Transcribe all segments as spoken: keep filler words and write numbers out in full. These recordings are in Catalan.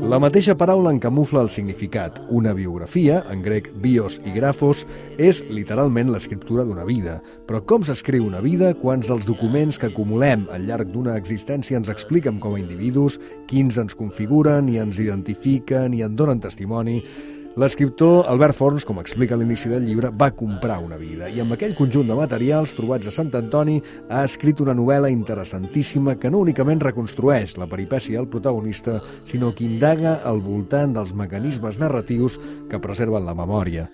La mateixa paraula en camufla el significat. Una biografia, en grec bios i grafos, és literalment l'escriptura d'una vida. Però com s'escriu una vida? Quants dels documents que acumulem al llarg d'una existència ens expliquen com a individus, quins ens configuren i ens identifiquen i en donen testimoni? L'escriptor Albert Forns, com explica a l'inici del llibre, va comprar una vida i amb aquell conjunt de materials trobats a Sant Antoni ha escrit una novel·la interessantíssima que no únicament reconstrueix la peripècia del protagonista, sinó que indaga al voltant dels mecanismes narratius que preserven la memòria.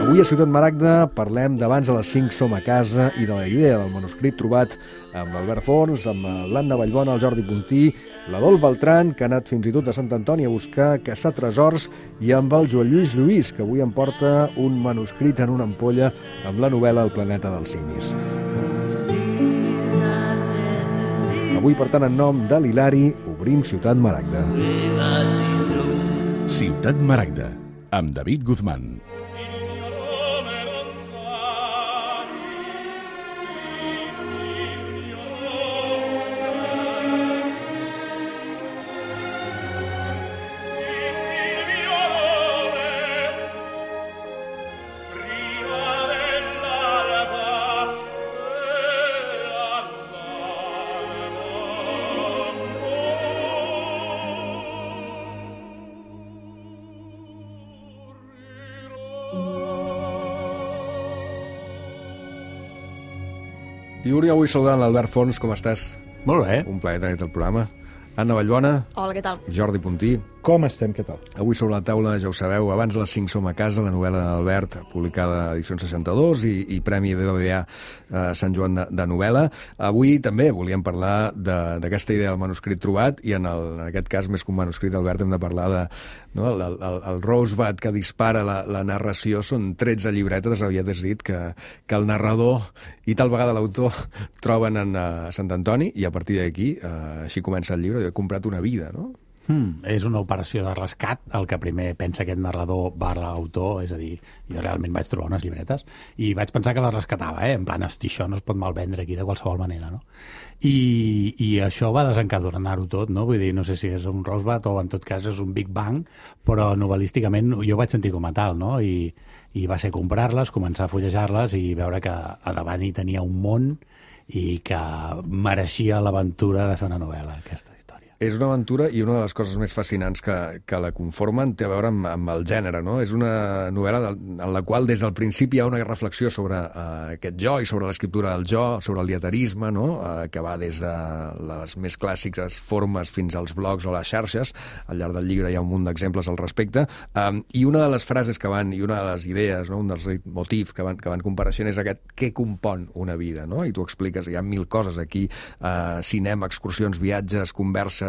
Avui a Ciutat Maragda parlem d'Abans a les cinc som a casa i de la idea del manuscrit trobat amb l'Albert Forns, amb l'Anna Vallbona, el Jordi Puntí, l'Adolf Beltran, que ha anat fins i tot a Sant Antoni a buscar, a caçar tresors, i amb el Joan Lluís Lluís, que avui em porta un manuscrit en una ampolla amb la novel·la El planeta dels simis. Avui, per tant, en nom de l'Hilari, obrim Ciutat Maragda. Ciutat Maragda, amb David Guzmán. Diuri, avui saludant l'Albert Forns, com estàs? Molt bé. Un plaer tenir-te al programa. Anna Vallbona. Hola, què tal? Jordi Puntí. Com estem, què tal? Avui sobre la taula, ja ho sabeu, Abans a les cinc som a casa, la novel·la d'Albert, publicada a Edicions seixanta-dos i, i Premi B B V A eh, Sant Joan de, de novel·la. Avui també volíem parlar d'aquesta idea del manuscrit trobat i en, el, en aquest cas, més que un manuscrit, Albert, hem de parlar de no, el, el, el Rosebud que dispara la, la narració. Són tretze llibretes, havies dit, que, que el narrador i tal vegada l'autor troben en uh, Sant Antoni i a partir d'aquí, uh, així comença el llibre, he comprat una vida, no? Hmm, és una operació de rescat, el que primer pensa aquest narrador barra autor, és a dir, jo realment vaig trobar unes llibretes i vaig pensar que les rescatava, eh? En plan, hosti, això no es pot malvendre aquí de qualsevol manera, no? I, i això va desencadenar-ho tot, no? Vull dir, no sé si és un Rosebud o en tot cas és un Big Bang, però novel·lísticament jo vaig sentir com a tal, no? I, i va ser comprar-les, començar a fullejar-les i veure que a davant hi tenia un món i que mereixia l'aventura de fer una novel·la, aquesta. És una aventura i una de les coses més fascinants que, que la conformen té a veure amb, amb el gènere, no? És una novel·la de, en la qual des del principi hi ha una reflexió sobre uh, aquest jo i sobre l'escriptura del jo, sobre el dieterisme, no? Uh, que va des de les més clàssiques formes fins als blogs o les xarxes. Al llarg del llibre hi ha un munt d'exemples al respecte. Um, I una de les frases que van, i una de les idees, no? Un dels motifs que van, que van compareixent és aquest què compon una vida, no? I tu expliques, hi ha mil coses aquí, uh, cinema, excursions, viatges, converses,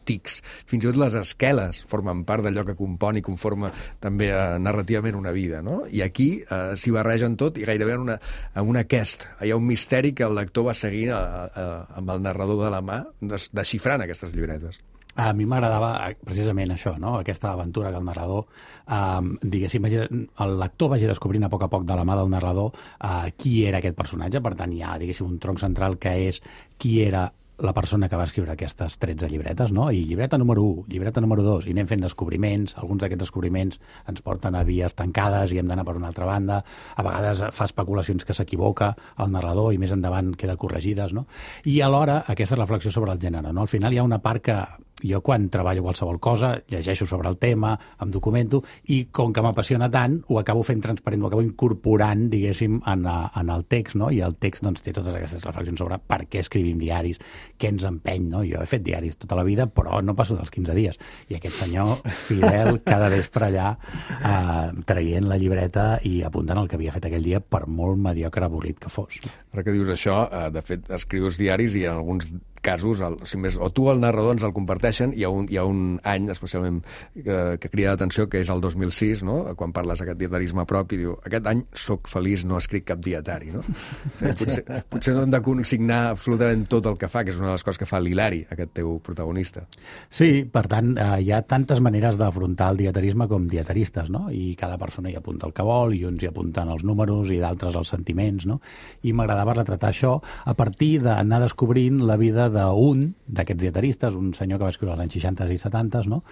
tics, fins i tot les esqueles formen part d'allò que compon i conforma també eh, narrativament una vida, no? I aquí eh, s'hi barregen tot i gairebé en una, en una quest. Hi ha un misteri que el lector va seguint a, a, amb el narrador de la mà, des, desxifrant aquestes llibretes. A mi m'agradava precisament això, no? Aquesta aventura que el narrador, eh, diguéssim, vagi, el lector vagi descobrint a poc a poc de la mà del narrador eh, qui era aquest personatge. Per tant, hi ha, diguéssim, un tronc central que és qui era la persona que va escriure aquestes tretze llibretes, no? I llibreta número u, llibreta número dos, i anem fent descobriments, alguns d'aquests descobriments ens porten a vies tancades i hem d'anar per una altra banda, a vegades fa especulacions que s'equivoca el narrador i més endavant queda corregides, no? I alhora aquesta reflexió sobre el gènere, no? Al final hi ha una part que jo quan treballo qualsevol cosa, llegeixo sobre el tema, em documento, i com que m'apassiona tant, ho acabo fent transparent, ho acabo incorporant, diguéssim, en, a, en el text, no? I el text doncs, té totes aquestes reflexions sobre per què escrivim diaris, què ens empeny, no? Jo he fet diaris tota la vida, però no passo dels quinze dies. I aquest senyor, fidel, cada vespre allà, eh, traient la llibreta i apuntant el que havia fet aquell dia, per molt mediocre avorrit que fos. Ara que dius això, eh, de fet, escrius diaris i en alguns casos, el, si més, o tu o el narrador ens el comparteixen, hi ha un, hi ha un any especialment que, que crida l'atenció, que és el dos mil sis, no? Quan parles d'aquest dietarisme propi, diu, aquest any soc feliç, no escric cap dietari, no? O sigui, potser, potser no hem de consignar absolutament tot el que fa, que és una de les coses que fa l'Hilari, aquest teu protagonista. Sí, per tant, eh, hi ha tantes maneres d'afrontar el dietarisme com dietaristes, no? I cada persona hi apunta el que vol, i uns hi apunten els números i d'altres els sentiments, no? I m'agradava retratar això a partir d'anar descobrint la vida d'un d'aquests dietaristes, un senyor que va escriure als anys seixanta i setanta, no?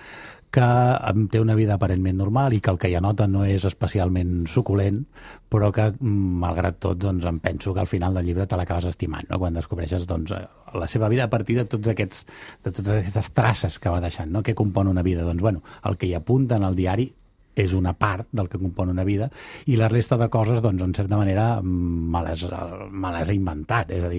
Que té una vida aparentment normal i que el que hi anota no és especialment suculent, però que, malgrat tot, doncs, em penso que al final del llibre te l'acabes estimant, no? Quan descobreixes doncs, la seva vida a partir de tots aquests, de totes aquestes traces que va deixant, no? Què compon una vida? Doncs, bueno, el que hi apunta en el diari és una part del que compon una vida, i la resta de coses, doncs, en certa manera, me les, me les he inventat. És a dir,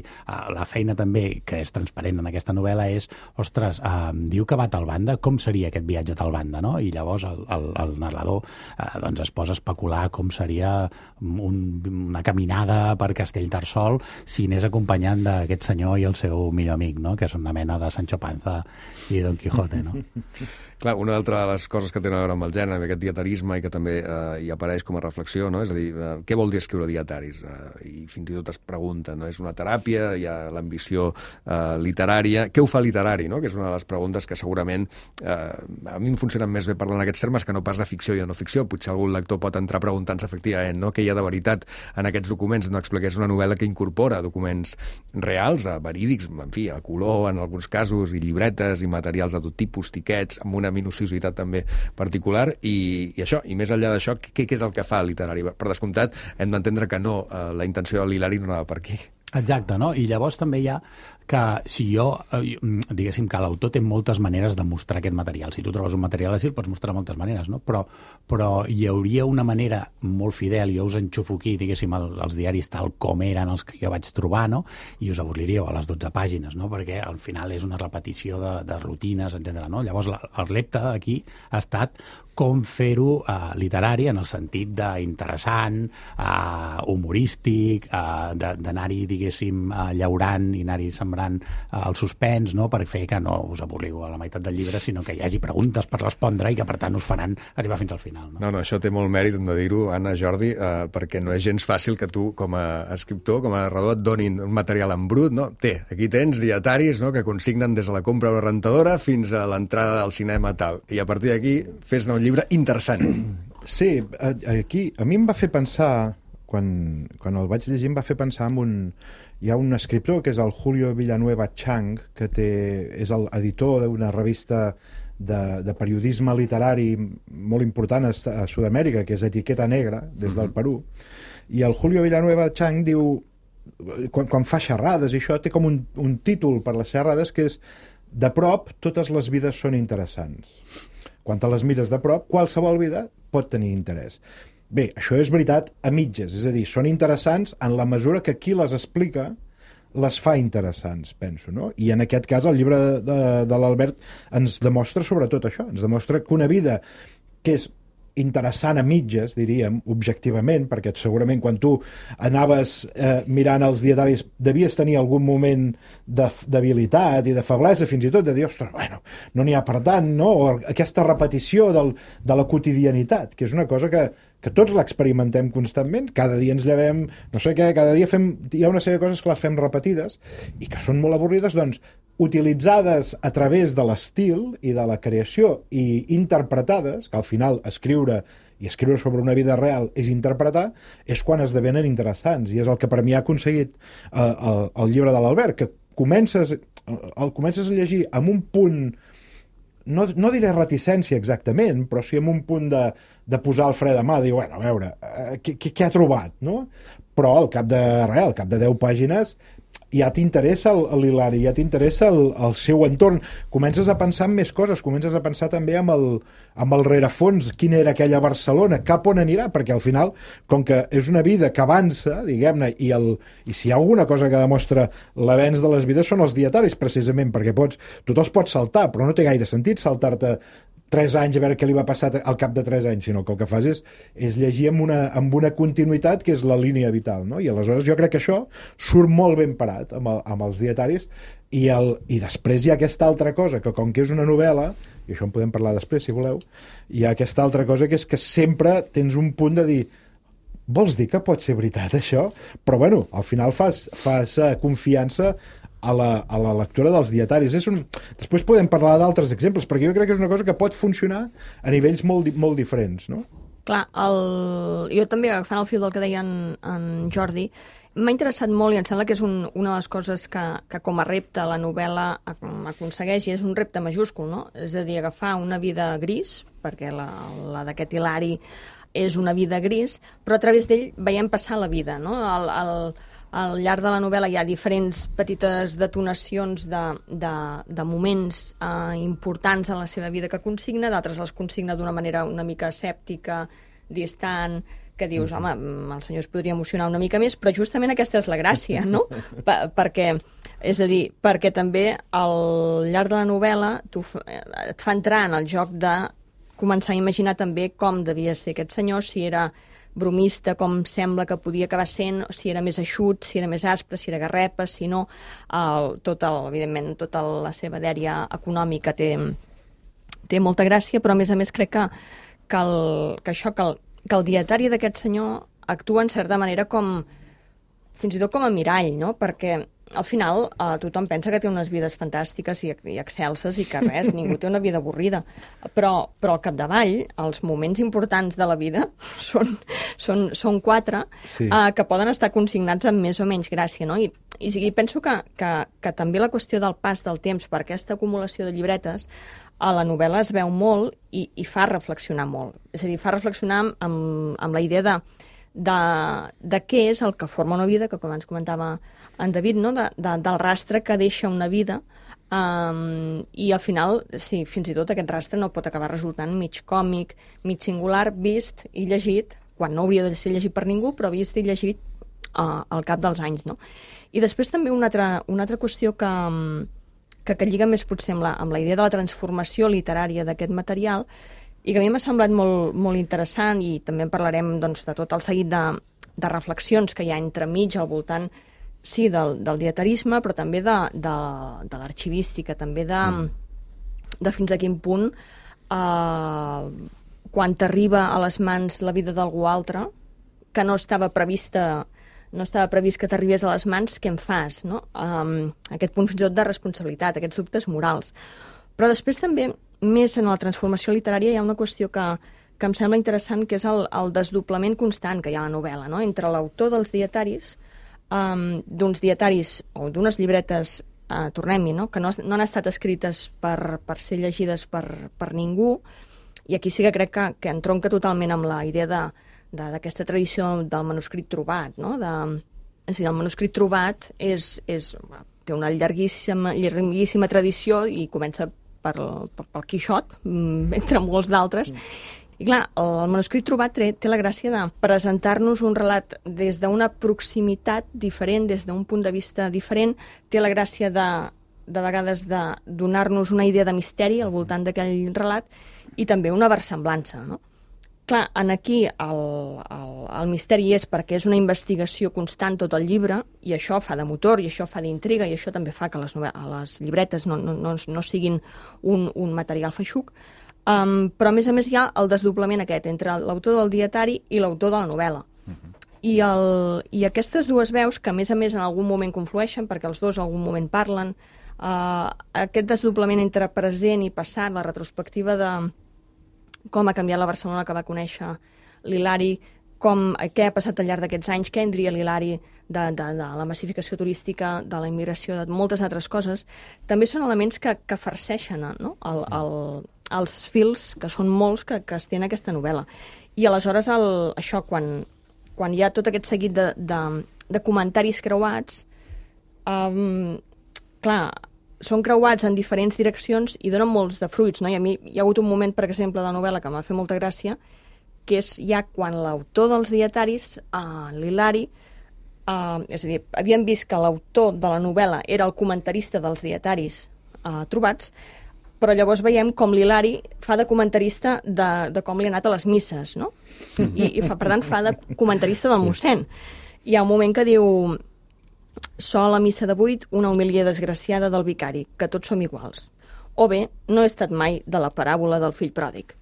la feina també, que és transparent en aquesta novel·la, és, ostres, eh, diu que va a tal banda, com seria aquest viatge a tal banda, no? I llavors el, el, el narrador eh, doncs es posa a especular com seria un, una caminada per Castellterçol si anés acompanyant d'aquest senyor i el seu millor amic, no? Que és una mena de Sancho Panza i Don Quijote, no? Clar, una altra de les coses que tenen a veure amb el gènere, amb aquest dietarisme, i que també eh, hi apareix com a reflexió, no? És a dir, eh, què vol dir escriure dietaris? Eh, I fins i tot es pregunta, no? És una teràpia, hi ha l'ambició eh, literària. Què ho fa literari, no? Que és una de les preguntes que segurament eh, a mi em funcionen més bé parlant en aquests termes que no pas de ficció i de no ficció. Potser algun lector pot entrar preguntant-se efectivament, no? Què hi ha de veritat en aquests documents? No expliqués una novel·la que incorpora documents reals, eh, verídics, en fi, a color en alguns casos, i llibretes i materials de tot tipus, tiquets, amb una minuciositat també particular, i, i això, i més enllà d'això, què, què és el que fa el literari? Per descomptat, hem d'entendre que no, eh, la intenció de l'Hilari no anava per aquí. Exacte, no? I llavors també hi ha que si jo, diguéssim que l'autor té moltes maneres de mostrar aquest material. Si tu trobes un material així, el pots mostrar de moltes maneres, no? Però, però hi hauria una manera molt fidel, jo us enxufo aquí, diguéssim, el, els diaris tal com eren els que jo vaig trobar, no? I us avorriríeu a les dotze pàgines, no? Perquè al final és una repetició de, de rutines, etcètera, no? Llavors, la, el repte aquí ha estat com fer-ho eh, literari en el sentit d'interessant, eh, humorístic, eh, d'anar-hi, diguéssim, eh, llaurant i anar-hi sembrant eh, el suspens, no? Per fer que no us avorriu a la meitat del llibre, sinó que hi hagi preguntes per respondre i que, per tant, us faran arribar fins al final. No, no, no això té molt mèrit, hem de dir-ho, Anna, Jordi, eh, perquè no és gens fàcil que tu, com a escriptor, com a narrador, et donin un material en brut, no? Té, aquí tens dietaris, no?, que consignen des de la compra de la rentadora fins a l'entrada al cinema tal, i a partir d'aquí fes-ne un llibre interessant. Sí, aquí a mi em va fer pensar, quan, quan el vaig llegir, em va fer pensar en un... Hi ha un escriptor que és el Julio Villanueva Chang, que té, és l'editor d'una revista de, de periodisme literari molt important a, a Sud-amèrica, que és Etiqueta Negra, des del Perú. I el Julio Villanueva Chang diu, quan, quan fa xerrades i això, té com un, un títol per les xerrades que és "De prop, totes les vides són interessants". Quan te les mires de prop, qualsevol vida pot tenir interès. Bé, això és veritat a mitges, és a dir, són interessants en la mesura que qui les explica les fa interessants, penso, no? I en aquest cas el llibre de, de, de l'Albert ens demostra sobretot això, ens demostra que una vida que és interessant a mitges, diríem, objectivament, perquè segurament quan tu anaves eh, mirant els dietaris devies tenir algun moment de debilitat i de feblesa, fins i tot de dir, ostres, bueno, no n'hi ha per tant, no? O aquesta repetició del, de la quotidianitat, que és una cosa que, que tots l'experimentem constantment, cada dia ens llevem, no sé què, cada dia fem, hi ha una sèrie de coses que les fem repetides i que són molt avorrides, doncs, utilitzades a través de l'estil i de la creació i interpretades, que al final escriure i escriure sobre una vida real és interpretar, és quan esdevenen interessants, i és el que per mi ha aconseguit eh, el, el llibre de l'Albert, que comences, el comences a llegir amb un punt, no, no diré reticència exactament, però sí amb un punt de, de posar el fre de mà, dir, bueno, a veure, eh, què, què ha trobat, no? Però al cap de res, al cap de deu pàgines ja t'interessa l'Hilari, ja t'interessa el, el seu entorn, comences a pensar en més coses, comences a pensar també amb el, amb el rerefons, quina era aquella Barcelona, cap on anirà, perquè al final, com que és una vida que avança, diguem-ne, i, el, i si hi ha alguna cosa que demostra l'avenç de les vides són els dietaris, precisament, perquè pots, tu te'ls pots saltar, però no té gaire sentit saltar-te tres anys a veure què li va passar al cap de tres anys, sinó que el que fas és, és llegir amb una, amb una continuïtat que és la línia vital, no? I aleshores jo crec que això surt molt ben parat amb, el, amb els dietaris i, el, i després hi ha aquesta altra cosa, que com que és una novel·la, i això en podem parlar després si voleu, hi ha aquesta altra cosa que és que sempre tens un punt de dir vols dir que pot ser veritat això? Però bueno, al final fas, fas uh, confiança a la, a la lectura dels dietaris. És un... Després podem parlar d'altres exemples, perquè jo crec que és una cosa que pot funcionar a nivells molt, molt diferents, no? Clar, el... jo també, agafant el fil del que deia en, en Jordi, m'ha interessat molt i em sembla que és un, una de les coses que, que com a repte la novel·la aconsegueix, i és un repte majúscul, no? És a dir, agafar una vida gris, perquè la, la d'aquest Hilari és una vida gris, però a través d'ell veiem passar la vida, no? El, el, al llarg de la novel·la hi ha diferents petites detonacions de, de, de moments eh, importants en la seva vida que consigna, d'altres els consigna d'una manera una mica escèptica, distant, que dius, home, el senyor es podria emocionar una mica més, però justament aquesta és la gràcia, no? Per, perquè, és a dir, perquè també al llarg de la novel·la tu, et fa entrar en el joc de començar a imaginar també com devia ser aquest senyor, si era bromista, com sembla que podia acabar sent, si era més eixut, si era més aspre, si era garrepa, si no, el, tot el, evidentment, tota la seva dèria econòmica té, té molta gràcia, però a més a més crec que, que, el, que això, que el, que el dietari d'aquest senyor actua en certa manera com, fins i tot com a mirall, no? Perquè al final eh, tothom pensa que té unes vides fantàstiques i, i excelses i que res, ningú té una vida avorrida. Però, però al capdavall, els moments importants de la vida són, són, són quatre sí. eh, que poden estar consignats amb més o menys gràcia, no? I, i, i penso que, que, que també la qüestió del pas del temps per aquesta acumulació de llibretes a la novel·la es veu molt i, i fa reflexionar molt. És a dir, fa reflexionar amb, amb, amb la idea de De, de què és el que forma una vida, que com ens comentava en David, no? de, de, del rastre que deixa una vida, um, i al final, sí, fins i tot aquest rastre no pot acabar resultant mig còmic, mig singular, vist i llegit, quan no hauria de ser llegit per ningú, però vist i llegit uh, al cap dels anys. No? I després també una altra, una altra qüestió que, que, que lliga més potser amb la, amb la idea de la transformació literària d'aquest material, i que a mi m'ha semblat molt, molt interessant, i també en parlarem doncs, de tot el seguit de, de reflexions que hi ha entremig al voltant, sí, del, del dietarisme, però també de, de, de l'arxivística, també de, mm. de fins a quin punt, eh, quan t'arriba a les mans la vida d'algú altre, que no estava prevista, no estava previst que t'arribés a les mans, què en fas? No? Um, aquest punt fins i tot de responsabilitat, aquests dubtes morals. Però després també, més en la transformació literària, hi ha una qüestió que, que em sembla interessant, que és el, el desdoblament constant que hi ha a la novel·la, no? Entre l'autor dels dietaris, um, d'uns dietaris o d'unes llibretes, uh, tornem-hi, no? Que no, no han estat escrites per, per ser llegides per, per ningú, i aquí sí que crec que, que entronca totalment amb la idea de, de, d'aquesta tradició del manuscrit trobat, no? De, és a dir, el manuscrit trobat és, és, té una llarguíssima, llarguíssima tradició i comença per, per, pel Quixot, entre molts d'altres. I clar, el manuscrit trobat té, té la gràcia de presentar-nos un relat des d'una proximitat diferent, des d'un punt de vista diferent, té la gràcia de, de vegades de donar-nos una idea de misteri al voltant d'aquell relat i també una versemblança, no? Clar, en aquí el, el, el misteri és perquè és una investigació constant tot el llibre, i això fa de motor, i això fa d'intriga, i això també fa que les, les llibretes no, no, no, no siguin un, un material feixuc, um, però a més a més hi ha el desdoblament aquest entre l'autor del dietari i l'autor de la novel·la. Uh-huh. I, el, I aquestes dues veus, que a més a més en algun moment conflueixen, perquè els dos en algun moment parlen, uh, aquest desdoblament entre present i passat, la retrospectiva de com ha canviat la Barcelona que va conèixer l'Hilari, com, què ha passat al llarg d'aquests anys, què en diria l'Hilari de, de, de la massificació turística, de la immigració, de moltes altres coses, també són elements que, que farceixen, no? el, el, els fils, que són molts, que, que es té en aquesta novel·la. I aleshores, el, això, quan, quan hi ha tot aquest seguit de, de, de comentaris creuats, um, clar, són creuats en diferents direccions i donen molts de fruits, no? I a mi hi ha hagut un moment, per exemple, de la novel·la que m'ha fet molta gràcia, que és ja quan l'autor dels dietaris, uh, l'Hilari, uh, és a dir, havíem vist que l'autor de la novel·la era el comentarista dels dietaris uh, trobats, però llavors veiem com l'Hilari fa de comentarista de, de com li ha anat a les misses, no? I, i fa, per tant, fa de comentarista del mossèn. Hi ha un moment que diu: sol a missa de vuit, una homilia desgraciada del vicari, que tots som iguals. O bé, no he estat mai de la paràbola del fill pròdig.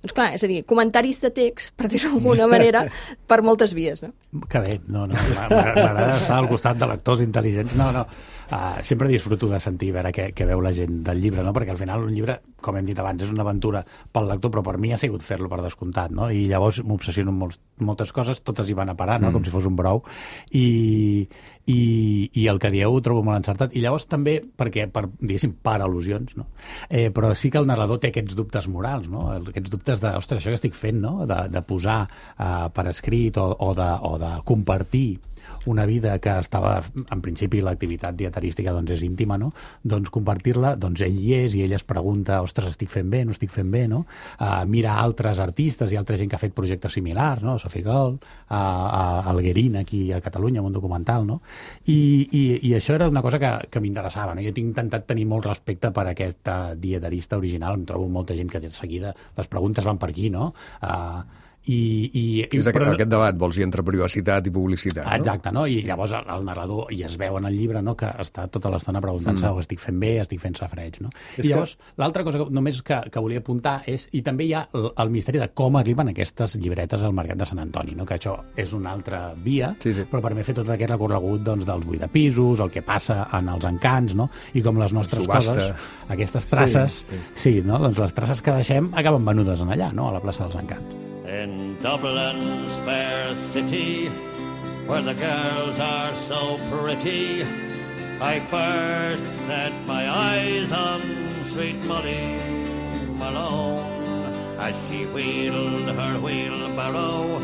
Doncs clar, és a dir, comentaris de text, per dir-ho d'alguna manera, per moltes vies, no? Que bé, no, no, m'agrada estar al costat de lectors intel·ligents. No, no, uh, sempre disfruto de sentir, a veure què, què veu la gent del llibre, no? Perquè al final un llibre, com hem dit abans, és una aventura pel lector, però per mi ha sigut fer-lo per descomptat, no? I llavors m'obsessiono amb molts, moltes coses, totes hi van a parar, no? Mm. Com si fos un brou. I, i, i el que dieu ho trobo molt encertat. I llavors també, perquè, per, diguéssim, per al·lusions, no? Eh, però sí que el narrador té aquests dubtes morals, no? Aquests dubtes de, ostres, això que estic fent, no? De, de posar uh, per escrit o, o, de, o de compartir una vida que estava, en principi l'activitat dieterística doncs és íntima, no? Doncs compartir-la, doncs ell hi és i ell es pregunta, ostres, estic fent bé, no estic fent bé, no? Uh, mira altres artistes i altra gent que ha fet projectes similars, no? Sophie Gold, uh, uh, Alguerín aquí a Catalunya, un documental, no? I, i, i això era una cosa que, que m'interessava, no? Jo tinc intentat tenir molt respecte per aquesta dieterista original, em trobo molta gent que de seguida les preguntes van per aquí, no? Uh, I, i, és aquest, però, aquest debat, vols dir, entre privacitat i publicitat, no? Exacte, no? I llavors el, el narrador, i es veu en el llibre, no?, que està tota l'estona preguntant-se mm. oh, estic fent bé, estic fent safreig, no? És I llavors, que... l'altra cosa que, només que, que volia apuntar és, i també hi ha el, el misteri de com arriben aquestes llibretes al mercat de Sant Antoni, no? Que això és una altra via, sí, sí. però per mi fer tot aquest recorregut doncs, dels buidapisos, el que passa en els encants, no? I com les nostres Subhasta. coses, aquestes traces, sí, sí. sí, no? Doncs les traces que deixem acaben venudes en allà, no?, a la plaça dels Encants. In Dublin's fair city, where the girls are so pretty, I first set my eyes on sweet Molly Malone, as she wheeled her wheelbarrow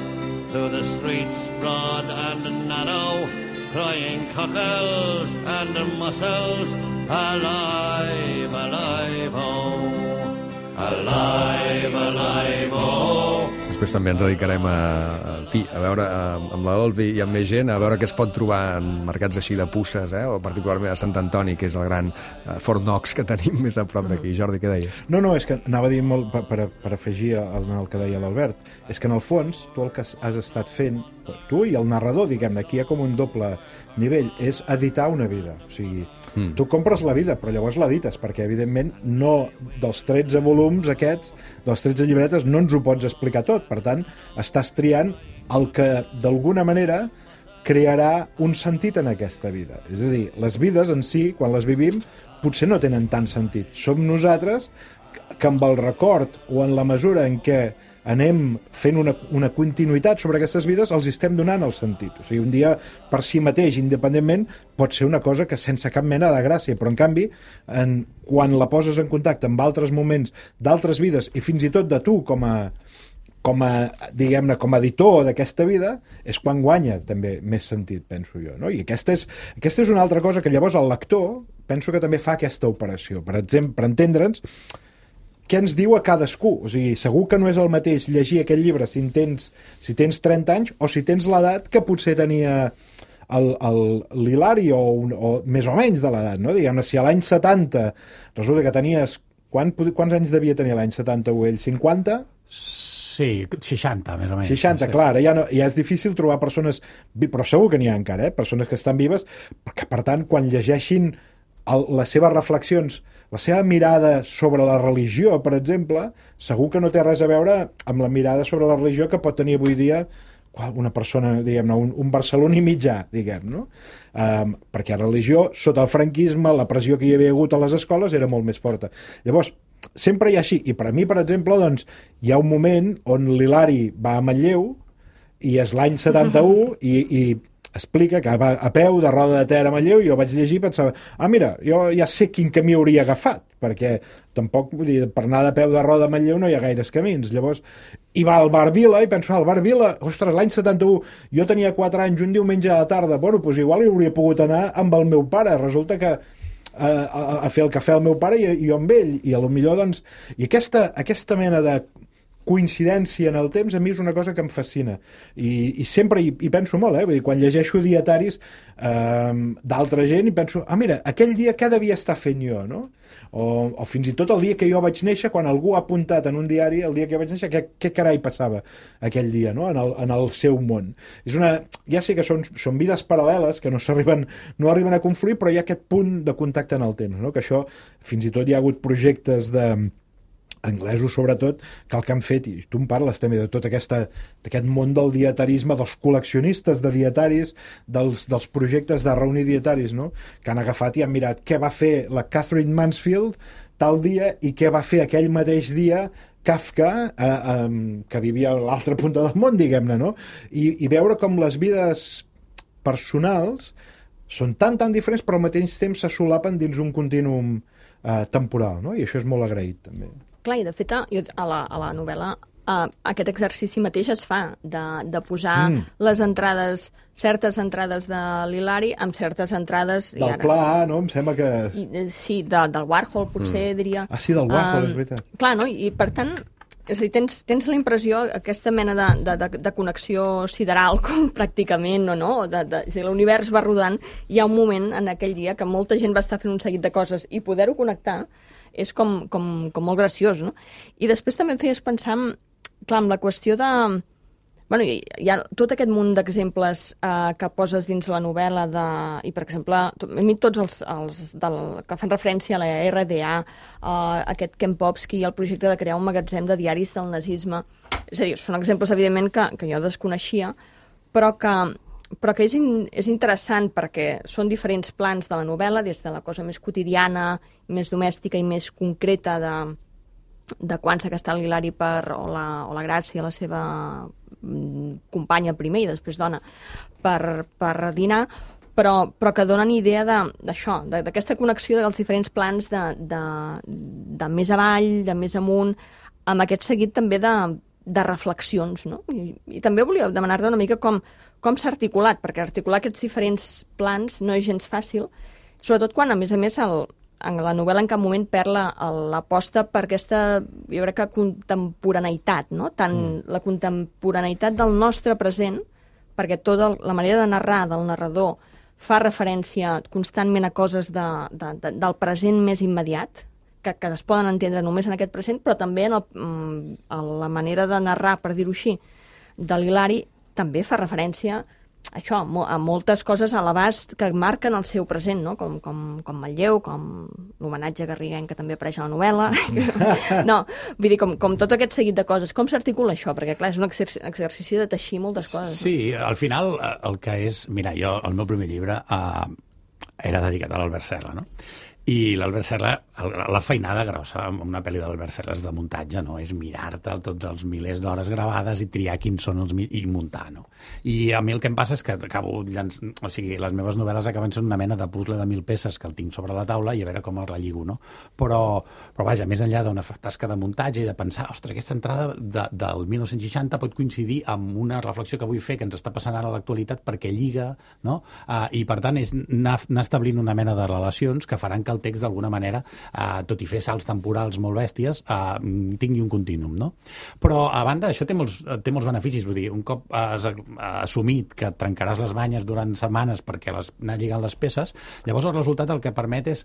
through the streets broad and narrow, crying cockles and mussels, alive, alive, oh, alive, alive, oh. Després també ens dedicarem a, a, en fi, a veure a, amb la Dolvi i amb més gent, a veure què es pot trobar en mercats així de puces, eh? O particularment a Sant Antoni, que és el gran uh, Fort Knox que tenim més a prop d'aquí. Jordi, què deies? No, no, és que anava a dir molt per, per, per afegir el, el que deia l'Albert. És que en el fons, tu el que has estat fent, tu i el narrador, diguem-ne, aquí hi ha com un doble nivell, és editar una vida. O sigui, mm. tu compres la vida, però llavors l'edites, perquè evidentment no, dels tretze volums aquests, dels tretze llibretes, no ens ho pots explicar tot. Per tant, estàs triant el que d'alguna manera crearà un sentit en aquesta vida. És a dir, les vides en si, quan les vivim, potser no tenen tant sentit. Som nosaltres que amb el record o en la mesura en què anem fent una, una continuïtat sobre aquestes vides, els estem donant el sentit. O sigui, un dia per si mateix, independentment, pot ser una cosa que sense cap mena de gràcia, però en canvi, en, quan la poses en contacte amb altres moments d'altres vides, i fins i tot de tu com a, com a, diguem-ne, com a editor d'aquesta vida, és quan guanya també més sentit, penso jo, no? I aquesta és, aquesta és una altra cosa que llavors el lector penso que també fa aquesta operació. Per exemple, per entendre'ns, què ens diu a cadascú? O sigui, segur que no és el mateix llegir aquest llibre si tens, si tens trenta anys o si tens l'edat que potser tenia l'Hilari o, un, o més o menys de l'edat, no? Diguem-ne, si a l'any setanta resulta que tenies... Quan, quants anys devia tenir l'any setanta-u ell? cinquanta? Sí, seixanta, més o menys. seixanta, no sé. clar, ja, no, ja és difícil trobar persones... Però segur que n'hi ha encara, eh? Persones que estan vives, perquè, per tant, quan llegeixin el, les seves reflexions, la seva mirada sobre la religió, per exemple, segur que no té res a veure amb la mirada sobre la religió que pot tenir avui dia una persona, diguem-ne, un, un barceloní mitjà, diguem, no? Um, perquè la religió, sota el franquisme, la pressió que hi havia hagut a les escoles era molt més forta. Llavors, sempre hi ha així. I per a mi, per exemple, doncs, hi ha un moment on l'Hilari va a Manlleu i és l'any setanta-u i, i explica que va a peu de Roda de Ter a Manlleu i jo vaig llegir i pensava, ah, mira, jo ja sé quin camí hauria agafat, perquè tampoc, vull dir, per anar de peu de Roda a Manlleu no hi ha gaires camins. Llavors, i va al Bar Vila i penso, ah, al Bar Vila, ostres, l'any setanta-u, jo tenia quatre anys, un diumenge a la tarda, bueno, doncs igual hi hauria pogut anar amb el meu pare, resulta que a, a, a fer el cafè al meu pare i, i jo amb ell, i a lo millor, doncs, i aquesta, aquesta mena de coincidència en el temps a mi és una cosa que em fascina. I, i sempre hi, hi penso molt, eh? Vull dir, quan llegeixo dietaris eh, d'altra gent i penso, ah, mira, aquell dia què devia estar fent jo, no? O, o fins i tot el dia que jo vaig néixer, quan algú ha apuntat en un diari el dia que jo vaig néixer, què, què carai passava aquell dia, no? En el, en el seu món. És una, ja sé que són, són vides paral·leles que no s'arriben, no arriben a confluir, però hi ha aquest punt de contacte en el temps, no? Que això, fins i tot hi ha hagut projectes de anglesos sobretot, que el que han fet, i tu em parles també de tot aquesta, d'aquest món del dietarisme, dels col·leccionistes de dietaris, dels, dels projectes de reunir dietaris, no? Que han agafat i han mirat què va fer la Catherine Mansfield tal dia i què va fer aquell mateix dia Kafka, eh, eh, que vivia a l'altra punta del món, diguem-ne, no? I, i veure com les vides personals són tan, tan diferents, però al mateix temps se solapen dins un contínuum eh, temporal, no? I això és molt agraït, també. Clar, i de fet, jo, a, la, a la novel·la uh, aquest exercici mateix es fa, de, de posar mm. les entrades, certes entrades de l'Hilari amb certes entrades... Del ara, pla, no? Em sembla que... I, sí, de, del Warhol, potser, mm. diria. Ah, sí, del Warhol, um, és veritat. Clar, no? I, per tant, és a dir, tens, tens la impressió, aquesta mena de, de, de, de connexió sideral, com pràcticament, o no? De, de, és a dir, l'univers va rodant, hi ha un moment en aquell dia que molta gent va estar fent un seguit de coses i poder-ho connectar és com, com, com molt graciós, no? I després també em feies pensar, en, clar, en la qüestió de... Bueno, hi, hi ha tot aquest munt d'exemples eh, que poses dins la novel·la de... I, per exemple, a mi tots els, els del, que fan referència a la R D A, eh, aquest Kempowski, el projecte de crear un magatzem de diaris del nazisme. És a dir, són exemples, evidentment, que, que jo desconeixia, però que, però que és, in, és interessant perquè són diferents plans de la novel·la, des de la cosa més quotidiana, més domèstica i més concreta de, de quan s'ha gastat l'Hilari per, o, la, o la Gràcia, la seva companya primer i després dona, per, per dinar, però, però que donen idea d'això, d'aquesta connexió dels diferents plans de, de, de més avall, de més amunt, amb aquest seguit també de, de reflexions, no? I, i també volia demanar-te una mica com, com s'ha articulat, perquè articular aquests diferents plans no és gens fàcil, sobretot quan, a més a més, el, en la novel·la en cap moment perd l'aposta per aquesta, jo crec que, contemporaneïtat, no? Tant mm. la contemporaneïtat del nostre present, perquè tota la manera de narrar del narrador fa referència constantment a coses de, de, de, del present més immediat, que, que es poden entendre només en aquest present, però també en el, a la manera de narrar, per dir-ho així, de l'Hilari, també fa referència a això, a moltes coses a l'abast que marquen el seu present, no? Com, com, com Manlleu, com l'homenatge a Garrigueny, que també apareix a la novel·la. No, vull dir, com, com tot aquest seguit de coses. Com s'articula això? Perquè, clar, és un exercici, exercici de teixir moltes coses. Sí, no? Al final, el que és... Mira, jo, el meu primer llibre eh, era dedicat a l'Albert Serra, no? I l'Albert Serra, la feinada grossa amb una pel·li d'Albert Serra és de muntatge, no? És mirar-te tots els milers d'hores gravades i triar quins són els... i muntar, no? I a mi el que em passa és que acabo llanç... o sigui, les meves novel·les acaben sent una mena de puzzle de mil peces que el tinc sobre la taula i a veure com el relligo, no? Però, però vaja, més enllà d'una tasca de muntatge i de pensar, ostres, aquesta entrada de, del mil nou-cents seixanta pot coincidir amb una reflexió que vull fer que ens està passant ara a l'actualitat perquè lliga, no? Uh, I, per tant, és anar, anar establint una mena de relacions que faran que el text d'alguna manera, eh, tot i fer salts temporals molt bèsties, eh, tingui un contínuum, no? Però, a banda, això té molts, té molts beneficis, vull dir, un cop has assumit que et trencaràs les banyes durant setmanes perquè les, anar lligant les peces, llavors el resultat el que permet és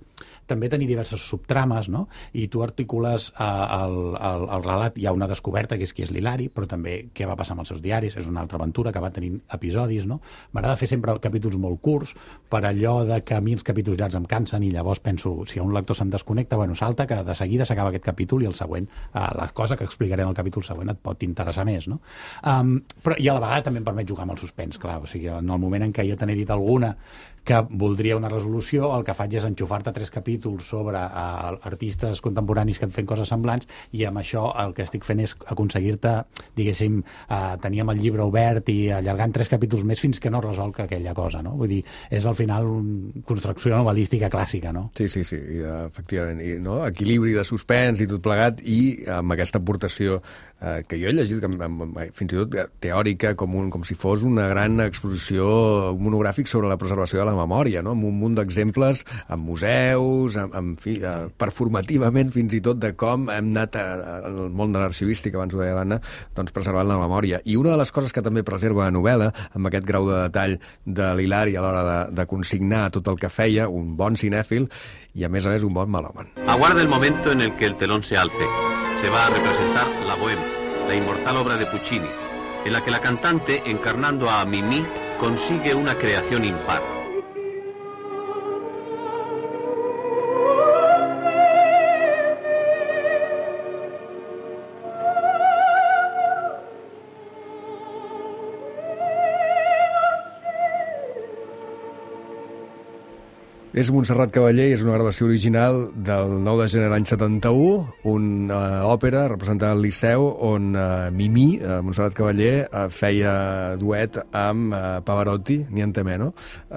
també tenir diverses subtrames, no? I tu articules eh, el, el, el relat, hi ha una descoberta, que és qui és l'Hilari, però també què va passar amb els seus diaris, és una altra aventura que va tenint episodis, no? M'agrada fer sempre capítols molt curts, per allò de que a mi els capítols llargs em cansen i llavors penso, si un lector se'm desconnecta, bueno, salta, que de seguida s'acaba aquest capítol i el següent, eh, la cosa que explicaré en el capítol següent et pot interessar més, no? Um, però, i a la vegada també em permet jugar amb el suspens, clar, o sigui, en el moment en què jo te n'he dit alguna que voldria una resolució, el que faig és enxufar-te tres capítols sobre uh, artistes contemporanis que fan coses semblants i amb això el que estic fent és aconseguir-te, diguéssim, uh, tenir amb el llibre obert i allargant tres capítols més fins que no resolc aquella cosa, no? Vull dir, és al final una construcció novel·lística clàssica, no? Sí, Sí, sí, sí, i, efectivament. I, no? Equilibri de suspens i tot plegat, i amb aquesta aportació eh, que jo he llegit, que, amb, amb, fins i tot teòrica, com, un, com si fos una gran exposició monogràfic sobre la preservació de la memòria, no? Amb un munt d'exemples en museus, en, en fi, eh, performativament fins i tot de com hem anat al món de l'arxivística, abans ho deia l'Anna, doncs preservant la memòria. I una de les coses que també preserva la novel·la, amb aquest grau de detall de l'Hilari a l'hora de, de consignar tot el que feia, un bon cinèfil, y a més a més un bon melòman. Aguarda el momento en el que el telón se alce. Se va a representar La Bohème, la inmortal obra de Puccini, en la que la cantante, encarnando a Mimi, consigue una creación impar. És Montserrat Cavaller i és una gravació original del nou de gener de l'any setanta-u, una òpera representada al Liceu on uh, Mimi, uh, Montserrat Cavaller, uh, feia duet amb uh, Pavarotti, niente meno, uh,